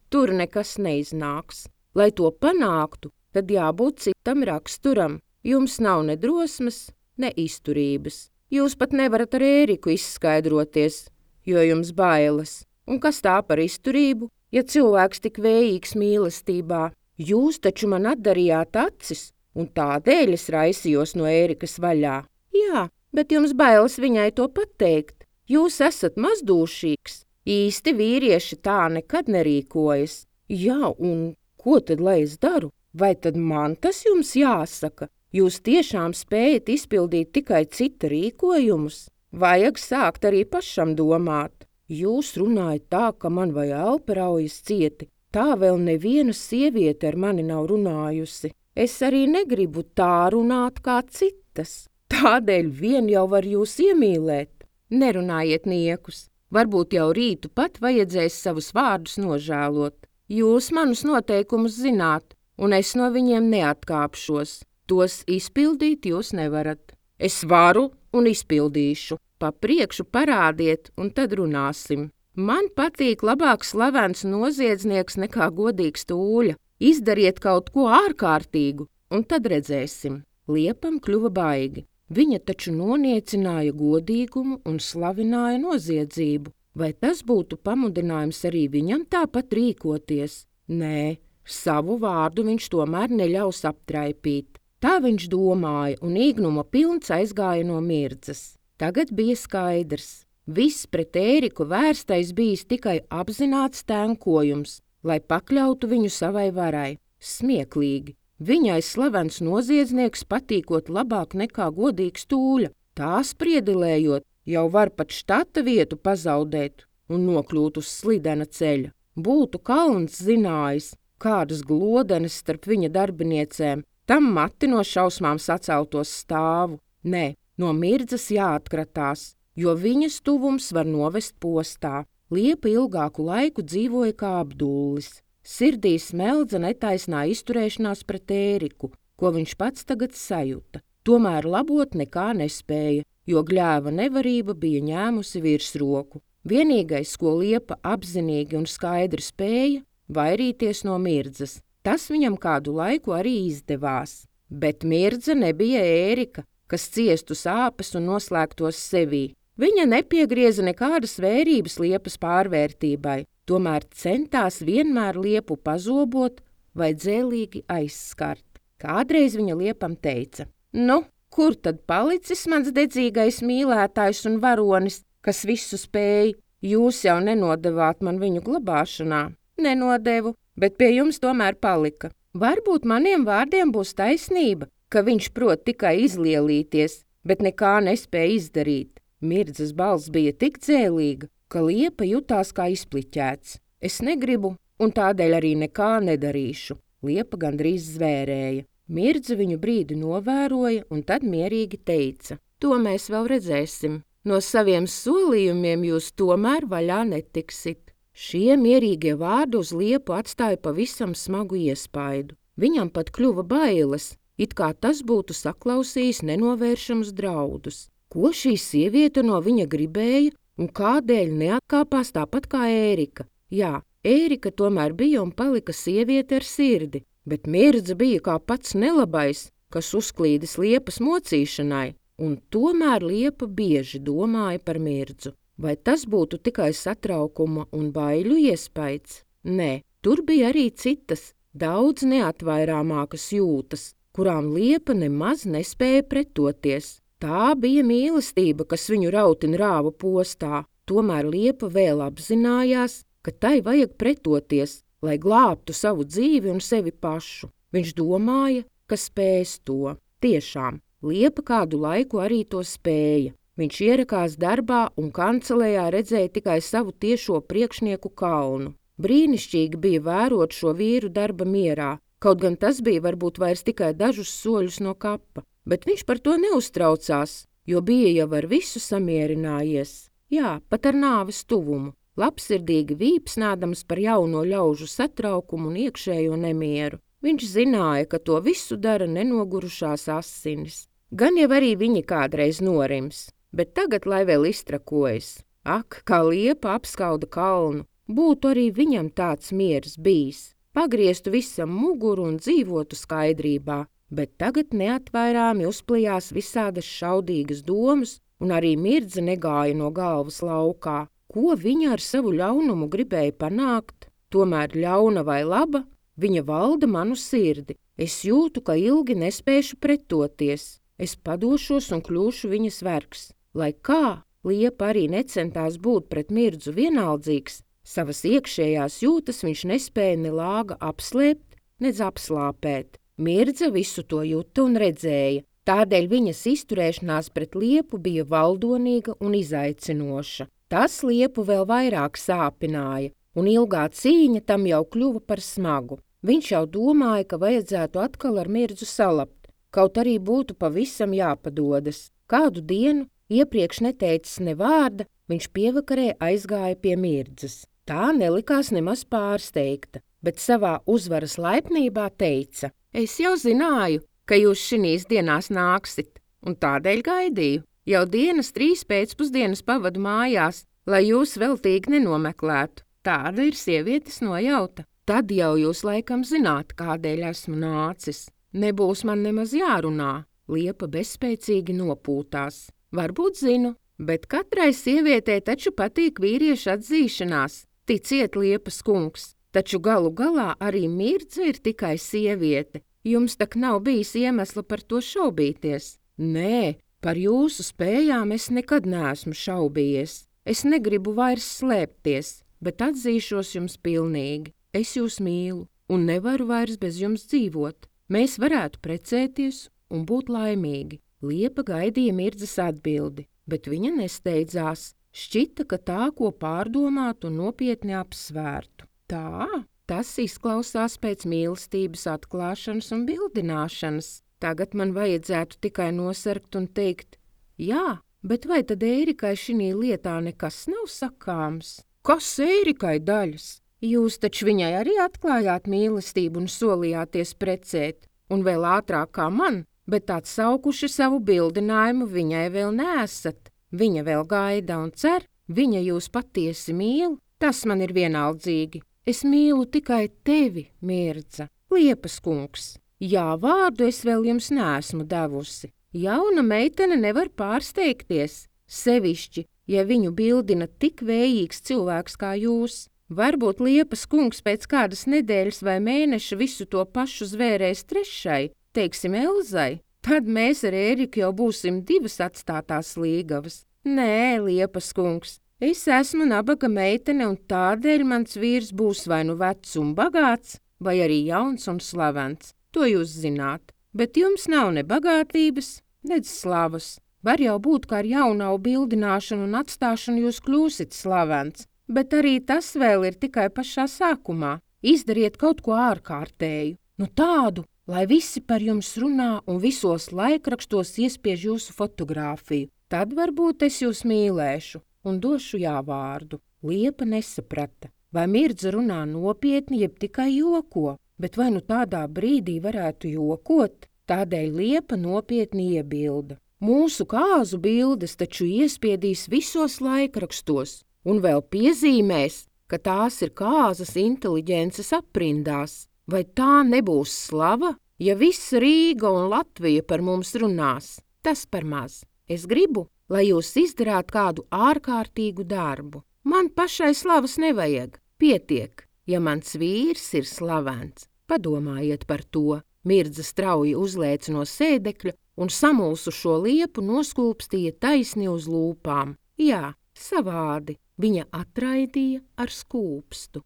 Tur nekas neiznāks. Lai to panāktu, tad jābūt citam raksturam. Jums nav ne drosmes, ne izturības. Jūs pat nevarat ar Ēriku izskaidroties, jo jums bailes. Un kas tā par izturību, ja cilvēks tik vējīgs mīlestībā? Jūs taču man atdarījāt acis, un tādēļ es raisījos no Ērikas vaļā. Jā, bet jums bailes viņai to pateikt. Jūs esat mazdūšīgs. Īsti vīrieši tā nekad nerīkojas. Jā, un ko tad lai es daru? Vai tad man tas jums jāsaka? Jūs tiešām spējat izpildīt tikai cita rīkojumus? Vajag sākt arī pašam domāt. Jūs runājat tā, ka man vai elpa raujas cieti. Tā vēl neviena sieviete ar mani nav runājusi. Es arī negribu tā runāt kā citas. Tādēļ vien jau var jūs iemīlēt. Nerunājiet niekus. Varbūt jau rītu pat vajadzēs savus vārdus nožēlot. Jūs manus noteikumus zināt, un es no viņiem neatkāpšos. Tos izpildīt jūs nevarat. Es varu un izpildīšu. Pa priekšu parādiet, un tad runāsim. Man patīk labāk slavens noziedznieks nekā godīgs tūļa. Izdariet kaut ko ārkārtīgu, un tad redzēsim. Liepam kļuva baigi. Viņa taču noniecināja godīgumu un slavināja noziedzību. Vai tas būtu pamudinājums arī viņam tāpat rīkoties? Nē, savu vārdu viņš tomēr neļaus aptraipīt. Tā viņš domāja, un īgnuma pilns aizgāja no Mirdzas. Tagad bija skaidrs. Viss pret Ēriku vērstais bijis tikai apzināts tēnkojums, lai pakļautu viņu savai varai. Smieklīgi. Viņai slavens noziedznieks patīkot labāk nekā godīgs tūļa. Tā spriedelējot, jau var pat štata vietu pazaudēt un nokļūt uz slidena ceļa. Būtu Kalns zinājis, kādas glodenes starp viņa darbiniecēm, tam mati no šausmām saceltos stāvu. Nē, no Mirdzas jāatkratās, jo viņas tuvums var novest postā. Liepa ilgāku laiku dzīvoja kā apdullis. Sirdī smeldza netaisnā izturēšanās pret Ēriku, ko viņš pats tagad sajuta. Tomēr labot nekā nespēja, jo gļēva nevarība bija ņēmusi virsroku. Vienīgais, ko Liepa apzinīgi un skaidri spēja, vairīties no Mirdzas. Tas viņam kādu laiku arī izdevās. Bet Mirdza nebija Ērika, kas ciestu sāpes un noslēgtos sevī. Viņa nepiegrieza nekādas vērības Liepas pārvērtībai, tomēr centās vienmēr Liepu pazobot vai dzēlīgi aizskart. Kādreiz viņa Liepam teica: Nu, kur tad palicis mans dedzīgais mīlētājs un varonis, kas visu spēja? Jūs jau nenodevāt man viņu glabāšanā. Nenodevu, bet pie jums tomēr palika. Varbūt maniem vārdiem būs taisnība, ka viņš prot tikai izlielīties, bet nekā nespēja izdarīt. Mirdzas balss bija tik dzēlīga, ka Liepa jutās kā izpliķēts. Es negribu, un tādēļ arī nekā nedarīšu. Liepa gandrīz zvērēja. Mirdza viņu brīdi novēroja un tad mierīgi teica: To mēs vēl redzēsim. No saviem solījumiem jūs tomēr vaļā netiksit. Šie mierīgie vārdi uz Liepu atstāja pavisam smagu iespaidu. Viņam pat kļuva bailes, it kā tas būtu saklausījis nenovēršamus draudus. Ko šī sieviete no viņa gribēja un kādēļ neatkāpās tāpat kā Ērika? Jā, Ērika tomēr bija un palika sieviete ar sirdi, bet Mirdza bija kā pats nelabais, kas uzklīdis Liepas mocīšanai, un tomēr Liepa bieži domāja par Mirdzu. Vai tas būtu tikai satraukuma un baiļu iespaids? Nē, tur bija arī citas, daudz neatvairāmākas jūtas, kurām Liepa nemaz nespēja pretoties. Tā bija mīlestība, kas viņu rautin rāva postā, tomēr Liepa vēl apzinājās, ka tai vajag pretoties, lai glābtu savu dzīvi un sevi pašu. Viņš domāja, ka spēs to. Tiešām, Liepa kādu laiku arī to spēja. Viņš ierakās darbā un kancelējā redzēja tikai savu tiešo priekšnieku Kalnu. Brīnišķīgi bija vērot šo vīru darba mierā, kaut gan tas bija varbūt vairs tikai dažus soļus no kapa, bet viņš par to neuztraucās, jo bija jau ar visu samierinājies. Jā, pat ar nāves tuvumu, labsirdīgi vīpsnādams par jauno ļaužu satraukumu un iekšējo nemieru. Viņš zināja, ka to visu dara nenogurušās asinis. Gan jau arī viņi kādreiz norims, bet tagad lai vēl iztrakojas. Ak, kā liepa apskauda Kalnu, būtu arī viņam tāds miers bijis. Pagrieztu visam muguru un dzīvotu skaidrībā, bet tagad neatvairāmi uzplijās visādas šaudīgas domas, un arī Mirdza negāja no galvas laukā. Ko viņa ar savu ļaunumu gribēja panākt? Tomēr ļauna vai laba, viņa valda manu sirdi. Es jūtu, ka ilgi nespēšu pretoties. Es padošos un kļūšu viņas vergs. Lai kā liepa arī necentās būt pret Mirdzu vienaldzīgs, savas iekšējās jūtas viņš nespēja ne lāga apslēpt, nedz apslāpēt. Mirdza visu to juta un redzēja, tādēļ viņas izturēšanās pret liepu bija valdonīga un izaicinoša. Tas liepu vēl vairāk sāpināja, un ilgā cīņa tam jau kļuva par smagu. Viņš jau domāja, ka vajadzētu atkal ar Mirdzu salapt, kaut arī būtu pavisam jāpadodas. Kādu dienu, iepriekš neteicis ne vārda, viņš pievakarē aizgāja pie Mirdzas. Tā nelikās nemaz pārsteigta, bet savā uzvaras laipnībā teica: Es jau zināju, ka jūs šinīs dienās nāksit, un tādēļ gaidīju. Jau dienas 3 pēcpusdienas pavadu mājās, lai jūs veltīgi nenomeklētu. Tāda ir sievietes nojauta. Tad jau jūs laikam zināt, kādēļ esmu nācis. Nebūs man nemaz jārunā. Liepa bezspēcīgi nopūtās. Varbūt zinu, bet katrai sievietei taču patīk vīriešu atzīšanās. Ticiet, Liepas kungs, taču galu galā arī Mirdza ir tikai sieviete. Jums tak nav bijis iemesla par to šaubīties. Nē, par jūsu spējām es nekad neesmu šaubījies. Es negribu vairs slēpties, bet atzīšos jums pilnīgi. Es jūs mīlu un nevaru vairs bez jums dzīvot. Mēs varētu precēties un būt laimīgi. Liepa gaidīja Mirdzas atbildi, bet viņa nesteidzās. Šķita, ka tā, ko pārdomātu un nopietni apsvērtu. Tā, tas izklausās pēc mīlestības atklāšanas un bildināšanas. Tagad man vajadzētu tikai nosarkt un teikt: jā, bet vai tad Ērikai šinī lietā nekas nav sakāms? Kas Ērikai daļas? Jūs taču viņai arī atklājāt mīlestību un solījāties precēt, un vēl ātrāk kā man, bet atsaukuši savu bildinājumu viņai vēl neesat. Viņa vēl gaida un cer, viņa jūs patiesi mīl, tas man ir vienaldzīgi. Es mīlu tikai tevi, Mirdza, Liepas kungs. Jā, vārdu es vēl jums neesmu devusi. Jauna meitene nevar pārsteigties, sevišķi, ja viņu bildina tik vējīgs cilvēks kā jūs. Varbūt Liepas kungs pēc kādas nedēļas vai mēneša visu to pašu zvērēs trešai, teiksim Elzai. Tad mēs ar Ēriku jau būsim 2 atstātās līgavas. Nē, Liepas kungs, es esmu nabaga meitene un tādēļ mans vīrs būs vai nu vecs un bagāts, vai arī jauns un slavens. To jūs zināt, bet jums nav ne bagātības, nedz slavas. Var jau būt, ka ar jaunavu bildināšanu un atstāšanu jūs kļūsit slavens, bet arī tas vēl ir tikai pašā sākumā. Izdariet kaut ko ārkārtēju, nu tādu, lai visi par jums runā un visos laikrakstos iespiež jūsu fotogrāfiju. Tad varbūt es jūs mīlēšu un došu jāvārdu. Liepa nesaprata, vai Mirdza runā nopietni, jeb tikai joko, bet vai nu tādā brīdī varētu jokot? Tādēļ Liepa nopietni iebilda. Mūsu kāzu bildes taču iespiedīs visos laikrakstos un vēl piezīmēs, ka tās ir kāzas inteliģences aprindās. Vai tā nebūs slava, ja visa Rīga un Latvija par mums runās? Tas par maz. Es gribu, lai jūs izdarāt kādu ārkārtīgu darbu. Man pašai slavas nevajag. Pietiek, ja mans vīrs ir slavens. Padomājiet par to. Mirdza strauji uzlēca no sēdekļa un samulsušo Liepu noskūpstīja taisni uz lūpām. Jā, savādi. Viņa atraidīja ar skūpstu.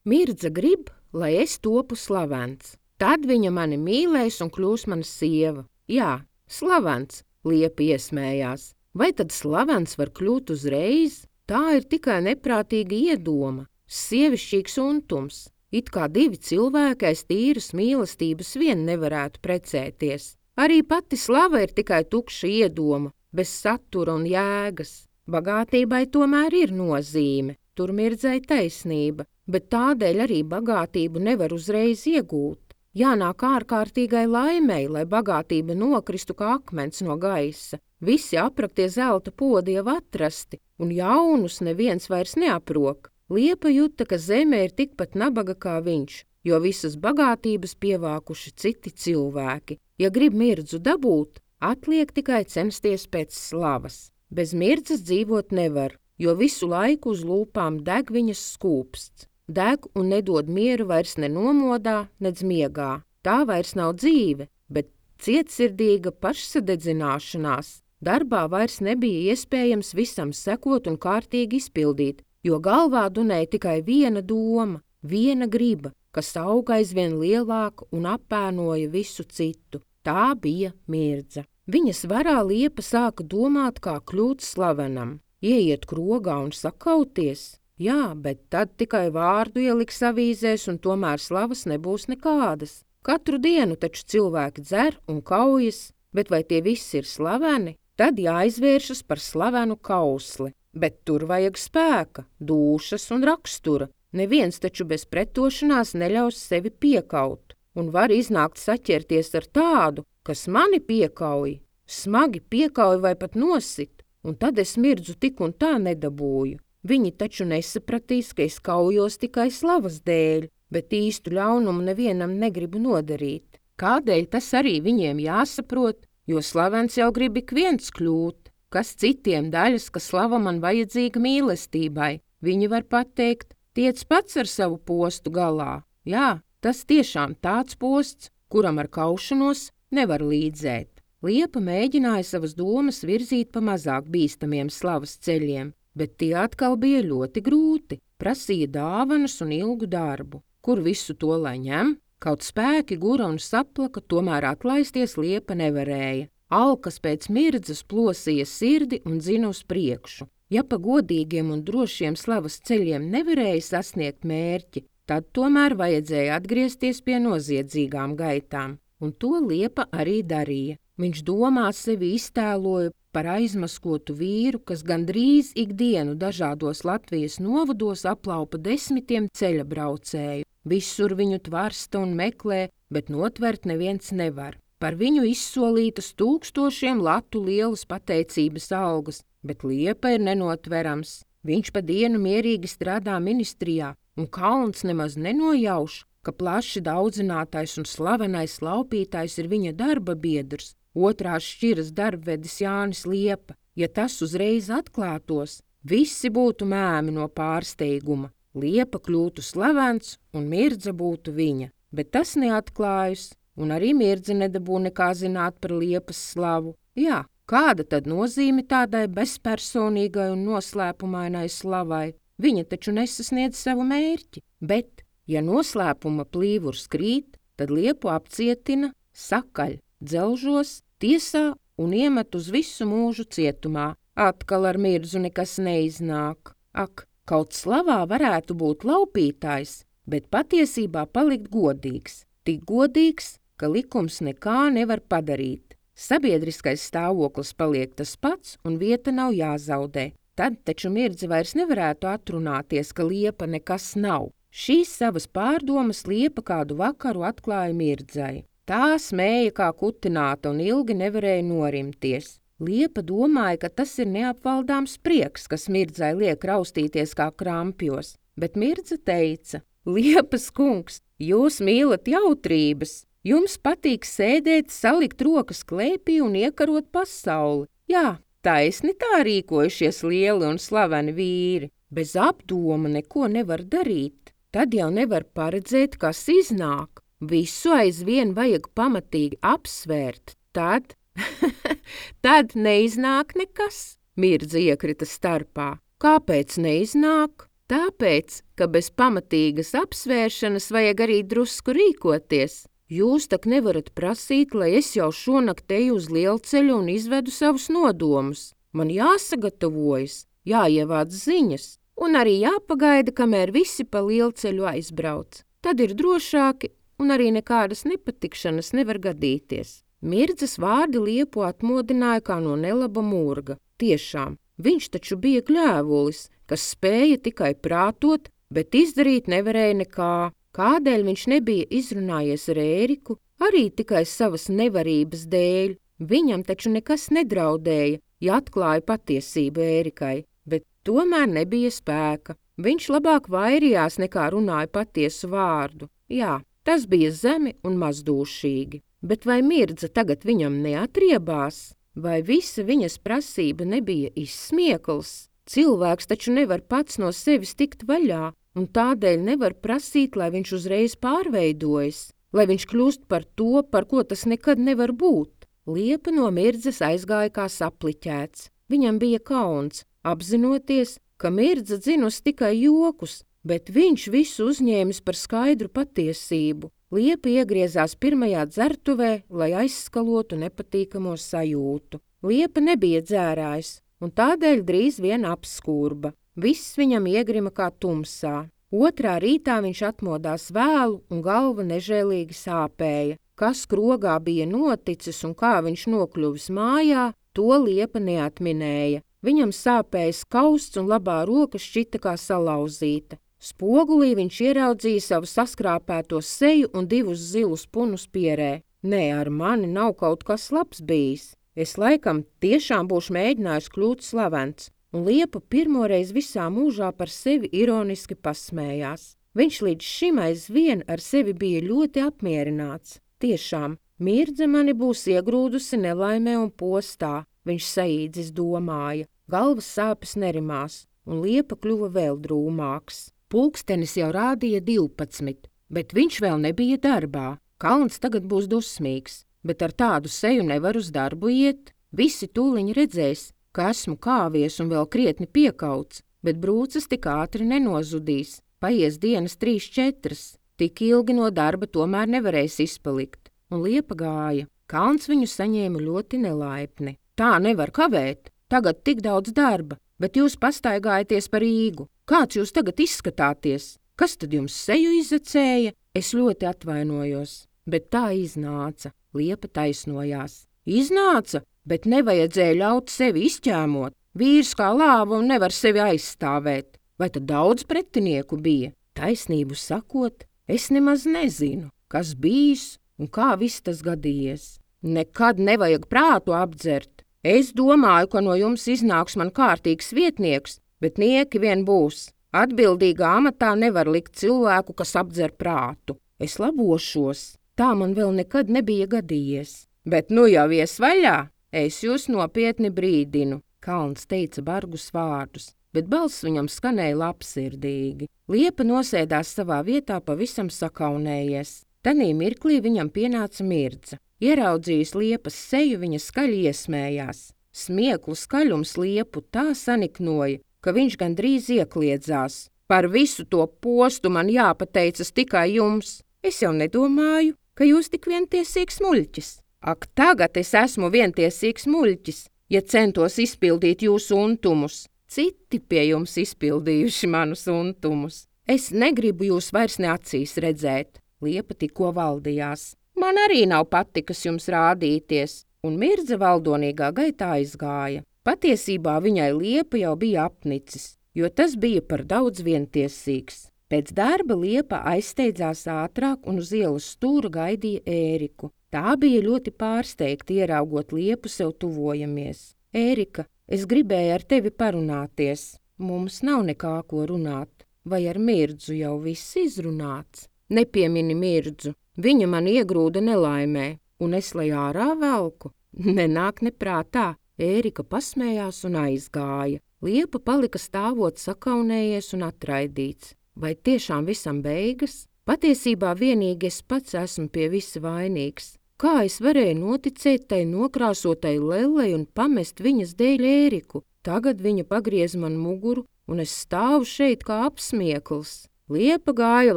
Mirdza grib, lai es topu slavens. Tad viņa mani mīlēs un kļūs mana sieva. Jā, slavens, Liepa iesmējās. Vai tad slavens var kļūt uzreiz? Tā ir tikai neprātīga iedoma, sievišķīgs untums. It kā divi cilvēki aiz tīras mīlestības vien nevarētu precēties. Arī pati slava ir tikai tukša iedoma, bez satura un jēgas. Bagātībai tomēr ir nozīme, tur Mirdzai taisnība, bet tādēļ arī bagātību nevar uzreiz iegūt. Jānāk ārkārtīgai laimei, lai bagātība nokristu kā akmens no gaisa. Visi apraktie zelta podi jau atrasti, un jaunus neviens vairs neaprok. Liepa jūta, ka zeme ir tikpat nabaga kā viņš, jo visas bagātības pievākuši citi cilvēki. Ja grib Mirdzu dabūt, atliek tikai censties pēc slavas. Bez Mirdzas dzīvot nevar, jo visu laiku uz lūpām deg viņas skūpsts. Deg un nedod mieru vairs ne nomodā, nedz miegā. Tā vairs nav dzīve, bet cietsirdīga pašsadedzināšanās. Darbā vairs nebija iespējams visam sekot un kārtīgi izpildīt, jo galvā dunēja tikai viena doma, viena griba, kas auga aizvien lielāka un apēnoja visu citu. Tā bija Mirdza. Viņas varā Liepa sāka domāt, kā kļūt slavenam, ieiet krogā un sakauties. Jā, bet tad tikai vārdu ieliks avīzēs un tomēr slavas nebūs nekādas. Katru dienu taču cilvēki dzer un kaujas, bet vai tie visi ir slaveni? Tad jāizvēršas par slavenu kausli. Bet tur vajag spēka, dūšas un rakstura. Neviens taču bez pretošanās neļaus sevi piekaut. Un var iznākt saķerties ar tādu, kas mani piekauj, smagi piekauj vai pat nosit. Un tad es Mirdzu tik un tā nedabūju. Viņi taču nesapratīs, ka es kaujos tikai slavas dēļ, bet īstu ļaunumu nevienam negribu nodarīt. Kādēļ tas arī viņiem jāsaprot, jo slavens jau grib ik viens kļūt. Kas citiem daļas, ka slava man vajadzīga mīlestībai? Viņi var pateikt, tiec pats ar savu postu galā. Jā, tas tiešām tāds posts, kuram ar kaušanos nevar līdzēt. Liepa mēģināja savas domas virzīt pa mazāk bīstamiem slavas ceļiem, bet tie atkal bija ļoti grūti, prasīja dāvanas un ilgu darbu. Kur visu to lai ņem? Kaut spēki gura un saplaka, tomēr atlaisties Liepa nevarēja. Alkas pēc Mirdzas plosīja sirdi un dzina uz priekšu. Ja pa godīgiem un drošiem slavas ceļiem nevarēja sasniegt mērķi, tad tomēr vajadzēja atgriezties pie noziedzīgām gaitām, un to Liepa arī darīja. Viņš domā sevi iztēloja par aizmaskotu vīru, kas gandrīz ikdienu dažādos Latvijas novados aplaupa 10 ceļa braucēju. Visur viņu tvarsta un meklē, bet notvert neviens nevar. Par viņu izsolītas 1000 latu lielas pateicības algas, bet Liepa ir nenotverams. Viņš pa dienu mierīgi strādā ministrijā, un kauns nemaz nenojauš, ka plaši daudzinātais un slavenais laupītājs ir viņa darba biedrs. Otrās šķiras darbvedis Jānis Liepa. Ja tas uzreiz atklātos, visi būtu mēmi no pārsteiguma. Liepa kļūtu slavens un Mirdza būtu viņa, bet tas neatklājas, un arī Mirdza nedabū nekā zināt par Liepas slavu. Jā, kāda tad nozīme tādai bezpersonīgai un noslēpumainai slavai? Viņa taču nesasniedz savu mērķi, bet, ja noslēpuma plīvurs krīt, tad Liepu apcietina, sakaļ, dzelžos, tiesā un iemet uz visu mūžu cietumā. Atkal ar Mirdzu nekas neiznāk. Ak, kaut slavā varētu būt laupītājs, bet patiesībā palikt godīgs. Tik godīgs, ka likums nekā nevar padarīt. Sabiedriskais stāvoklis paliek tas pats un vieta nav jāzaudē. Tad taču Mirdza vairs nevarētu atrunāties, ka Liepa nekas nav. Šīs savas pārdomas Liepa kādu vakaru atklāja Mirdzai. Tā smēja kā kutināta un ilgi nevarēja norimties. Liepa domāja, ka tas ir neapvaldāms prieks, kas Mirdzai liek raustīties kā krampjos, bet Mirdza teica: Liepas kungs, jūs mīlat jautrības, jums patīk sēdēt, salikt rokas klēpī un iekarot pasauli. Jā, taisni tā rīkojušies lieli un slaveni vīri, bez apdoma neko nevar darīt, tad jau nevar paredzēt, kas iznāk. Visu aizvien vajag pamatīgi apsvērt, tad neiznāk nekas. Mirdza iekrita starpā. Kāpēc neiznāk? Tāpēc, ka bez pamatīgas apsvēršanas vajag arī drusku rīkoties. Jūs tak nevarat prasīt, lai es jau šonakt eju uz lielceļu un izvedu savus nodomus. Man jāsagatavojas, jāievāc ziņas, un arī jāpagaida, kamēr visi pa lielceļu aizbrauc. Tad ir drošāki, un arī nekādas nepatikšanas nevar gadīties. Mirdzas vārdi Liepu atmodināja kā no nelaba murga. Tiešām, viņš taču bija gļēvulis, kas spēja tikai prātot, bet izdarīt nevarēja nekā. Kādēļ viņš nebija izrunājies ar Ēriku? Arī tikai savas nevarības dēļ. Viņam taču nekas nedraudēja, ja atklāja patiesību Ērikai, bet tomēr nebija spēka. Viņš labāk vairījās nekā runāja patiesu vārdu. Jā, tas bija zemi un mazdūšīgi. Bet vai Mirdza tagad viņam neatriebās? Vai visa viņas prasība nebija izsmiekls? Cilvēks taču nevar pats no sevis tikt vaļā, un tādēļ nevar prasīt, lai viņš uzreiz pārveidojas, lai viņš kļūst par to, par ko tas nekad nevar būt. Liepa no Mirdzas aizgāja kā sapliķēts. Viņam bija kauns, apzinoties, ka Mirdza dzinusi tikai jokus, bet viņš visu uzņēmis par skaidru patiesību. Liepa iegriezās pirmajā dzertuvē, lai aizskalotu nepatīkamo sajūtu. Liepa nebija dzērājs, un tādēļ drīz vien apskūrba. Viss viņam iegrima kā tumsā. Otrā rītā viņš atmodās vēlu un galva nežēlīgi sāpēja. Kas krogā bija noticis un kā viņš nokļuvis mājā, to Liepa neatminēja. Viņam sāpēja skausts un labā roka šķita kā salauzīta. Spogulī viņš ieraudzīja savu saskrāpēto seju un divus zilus punus pierē. Nē, ar mani nav kaut kas labs bijis. Es laikam tiešām būšu mēģinājis kļūt slavens. Un Liepa pirmoreiz visā mūžā par sevi ironiski pasmējās. Viņš līdz šim aizvien ar sevi bija ļoti apmierināts. Tiešām, Mirdze mani būs iegrūdusi nelaimē un postā, viņš saīdzis domāja. Galvas sāpes nerimās, un Liepa kļuva vēl drūmāks. Pulkstenis jau rādīja 12, bet viņš vēl nebija darbā. Kalns tagad būs dusmīgs, bet ar tādu seju nevar uz darbu iet. Visi tūliņi redzēs, ka esmu kāvies un vēl krietni piekauts, bet brūces tik ātri nenozudīs. Paies dienas 3-4, tik ilgi no darba tomēr nevarēs izpalikt. Un Liepa gāja. Kalns viņu saņēma ļoti nelaipni. Tā nevar kavēt, tagad tik daudz darba, bet jūs pastaigājaties par Rīgu. Kāds jūs tagad izskatāties? Kas tad jums seju izacēja? Es ļoti atvainojos, bet tā iznāca. Liepa taisnojās. Iznāca, bet nevajadzēja ļaut sevi izķēmot. Vīrs kā lāva un nevar sevi aizstāvēt. Vai tad daudz pretinieku bija? Taisnību sakot, es nemaz nezinu, kas bijis un kā viss tas gadījies. Nekad nevajag prātu apdzert. Es domāju, ka no jums iznāks man kārtīgs vietnieks, bet nieki vien būs. Atbildīgā amatā nevar likt cilvēku, kas apdzer prātu. Es labošos, tā man vēl nekad nebija gadījies. Bet nu jau ies vaļā, es jūs nopietni brīdinu, Kalns teica bargus vārdus, bet balss viņam skanēja labsirdīgi. Liepa nosēdās savā vietā pavisam sakaunējies. Tanī mirklī viņam pienāca Mirdza. Ieraudzījis Liepas seju, viņa skaļi iesmējās. Smieklu skaļums Liepu tā saniknoja, ka viņš gandrīz iekliedzās. Par visu to postu man jāpateicas tikai jums. Es jau nedomāju, ka jūs tik vientiesīgs muļķis. Ak, tagad es esmu vientiesīgs muļķis, ja centos izpildīt jūsu untumus. Citi pie jums izpildījuši manus untumus. Es negribu jūs vairs ne acīs redzēt. Liepa tikko valdījās. Man arī nav patikas jums rādīties, un Mirdza valdonīgā gaitā aizgāja. Patiesībā viņai Liepa jau bija apnicis, jo tas bija par daudz vientiesīgs. Pēc darba Liepa aizsteidzās ātrāk un uz ielas stūra gaidīja Ēriku. Tā bija ļoti pārsteigta ieraugot Liepu sev tuvojamies. Ērika, es gribēju ar tevi parunāties. Mums nav nekā ko runāt. Vai ar Mirdzu jau viss izrunāts? Nepiemini Mirdzu. Viņa man iegrūda nelaimē, un es lai ārā velku. Nenāk neprātā. Ērika pasmējās un aizgāja. Liepa palika stāvot sakaunējies un atraidīts. Vai tiešām visam beigas? Patiesībā vienīgi es pats esmu pie visa vainīgs. Kā es varēju noticēt tai nokrāsotai lellei un pamest viņas dēļ Ēriku? Tagad viņa pagriez man muguru, un es stāvu šeit kā apsmiekls. Liepa gāja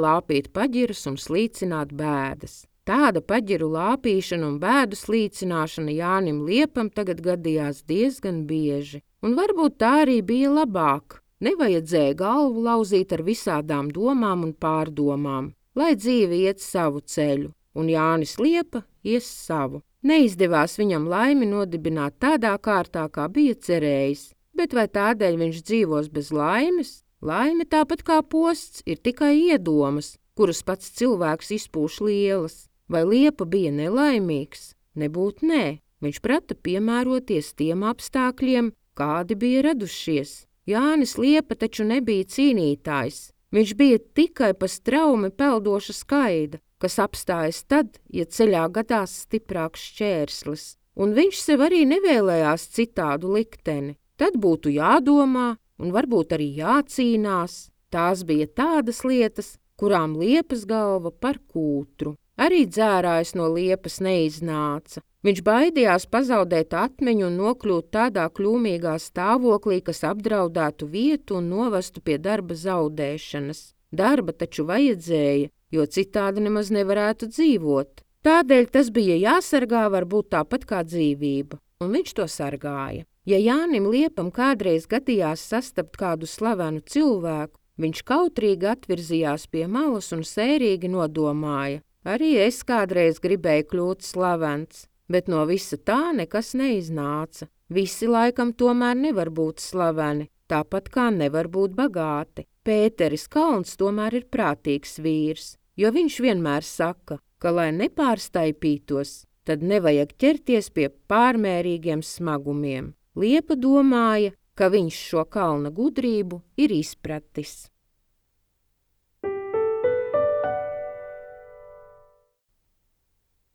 lāpīt paģiras un slīcināt bēdas. Tāda paģiru lāpīšana un bēdu slīcināšana Jānim Liepam tagad gadījās diezgan bieži, un varbūt tā arī bija labāk. Nevajadzēja galvu lauzīt ar visādām domām un pārdomām, lai dzīve iet savu ceļu, un Jānis Liepa ies savu. Neizdevās viņam laimi nodibināt tādā kārtā, kā bija cerējis, bet vai tādēļ viņš dzīvos bez laimes? Laime tāpat kā posts ir tikai iedomas, kuras pats cilvēks izpūš lielas. Vai Liepa bija nelaimīgs? Nebūt nē, viņš prata piemēroties tiem apstākļiem, kādi bija radušies. Jānis Liepa taču nebija cīnītājs, viņš bija tikai pa straumi peldoša skaida, kas apstājas tad, ja ceļā gadās stiprāks šķērslis, un viņš sev arī nevēlējās citādu likteni. Tad būtu jādomā un varbūt arī jācīnās. Tās bija tādas lietas, kurām Liepas galva par kūtru. Arī dzērājs no Liepas neiznāca. Viņš baidījās pazaudēt atmiņu un nokļūt tādā kļūmīgā stāvoklī, kas apdraudētu vietu un novestu pie darba zaudēšanas. Darba taču vajadzēja, jo citādi nemaz nevarētu dzīvot. Tādēļ tas bija jāsargā varbūt tāpat kā dzīvība, un viņš to sargāja. Ja Jānim Liepam kādreiz gadījās sastapt kādu slavenu cilvēku, viņš kautrīgi atvirzījās pie malas un sērīgi nodomāja: arī es kādreiz gribēju kļūt slavens, bet no visa tā nekas neiznāca. Visi laikam tomēr nevar būt slaveni, tāpat kā nevar būt bagāti. Pēteris Kalns tomēr ir prātīgs vīrs, jo viņš vienmēr saka, ka, lai nepārstaipītos, tad nevajag ķerties pie pārmērīgiem smagumiem. Liepa domāja, ka viņš šo kalna gudrību ir izpratis.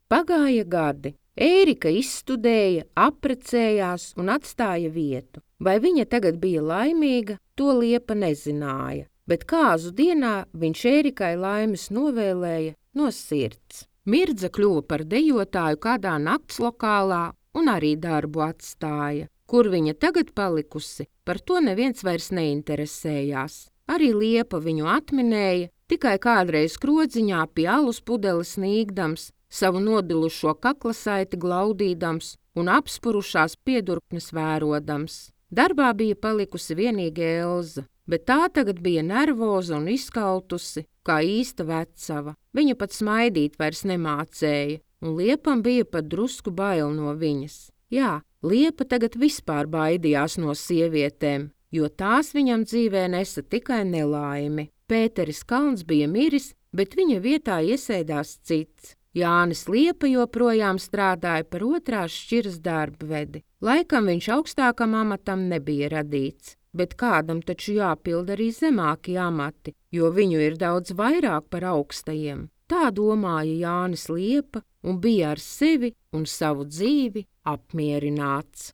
Pagāja gadi. Ērika izstudēja, apprecējās un atstāja vietu. Vai viņa tagad bija laimīga, to Liepa nezināja, bet kāzu dienā viņš Ērikai laimes novēlēja no sirds. Mirdza kļuva par dejotāju kādā naktslokālā un arī darbu atstāja. Kur viņa tagad palikusi, par to neviens vairs neinteresējās. Arī Liepa viņu atminēja, tikai kādreiz krodziņā pie alus pudeles sniegdams, savu nodilušo kaklasaiti glaudīdams un apspurušās piedurknes vērodams. Darbā bija palikusi vienīgi Elza, bet tā tagad bija nervoza un izkautusi, kā īsta vecava. Viņa pat smaidīt vairs nemācēja, un Liepam bija pat drusku bail no viņas. Jā, Liepa tagad vispār baidījās no sievietēm, jo tās viņam dzīvē nesa tikai nelaimi. Pēteris Kalns bija miris, bet viņa vietā iesēdās cits. Jānis Liepa joprojām strādāja par otrās šķiras darbvedi. Laikam viņš augstākam amatam nebija radīts, bet kādam taču jāpild arī zemāki amati, jo viņu ir daudz vairāk par augstajiem. Tā domāja Jānis Liepa un bija ar sevi un savu dzīvi apmierināts.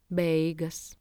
Beigas.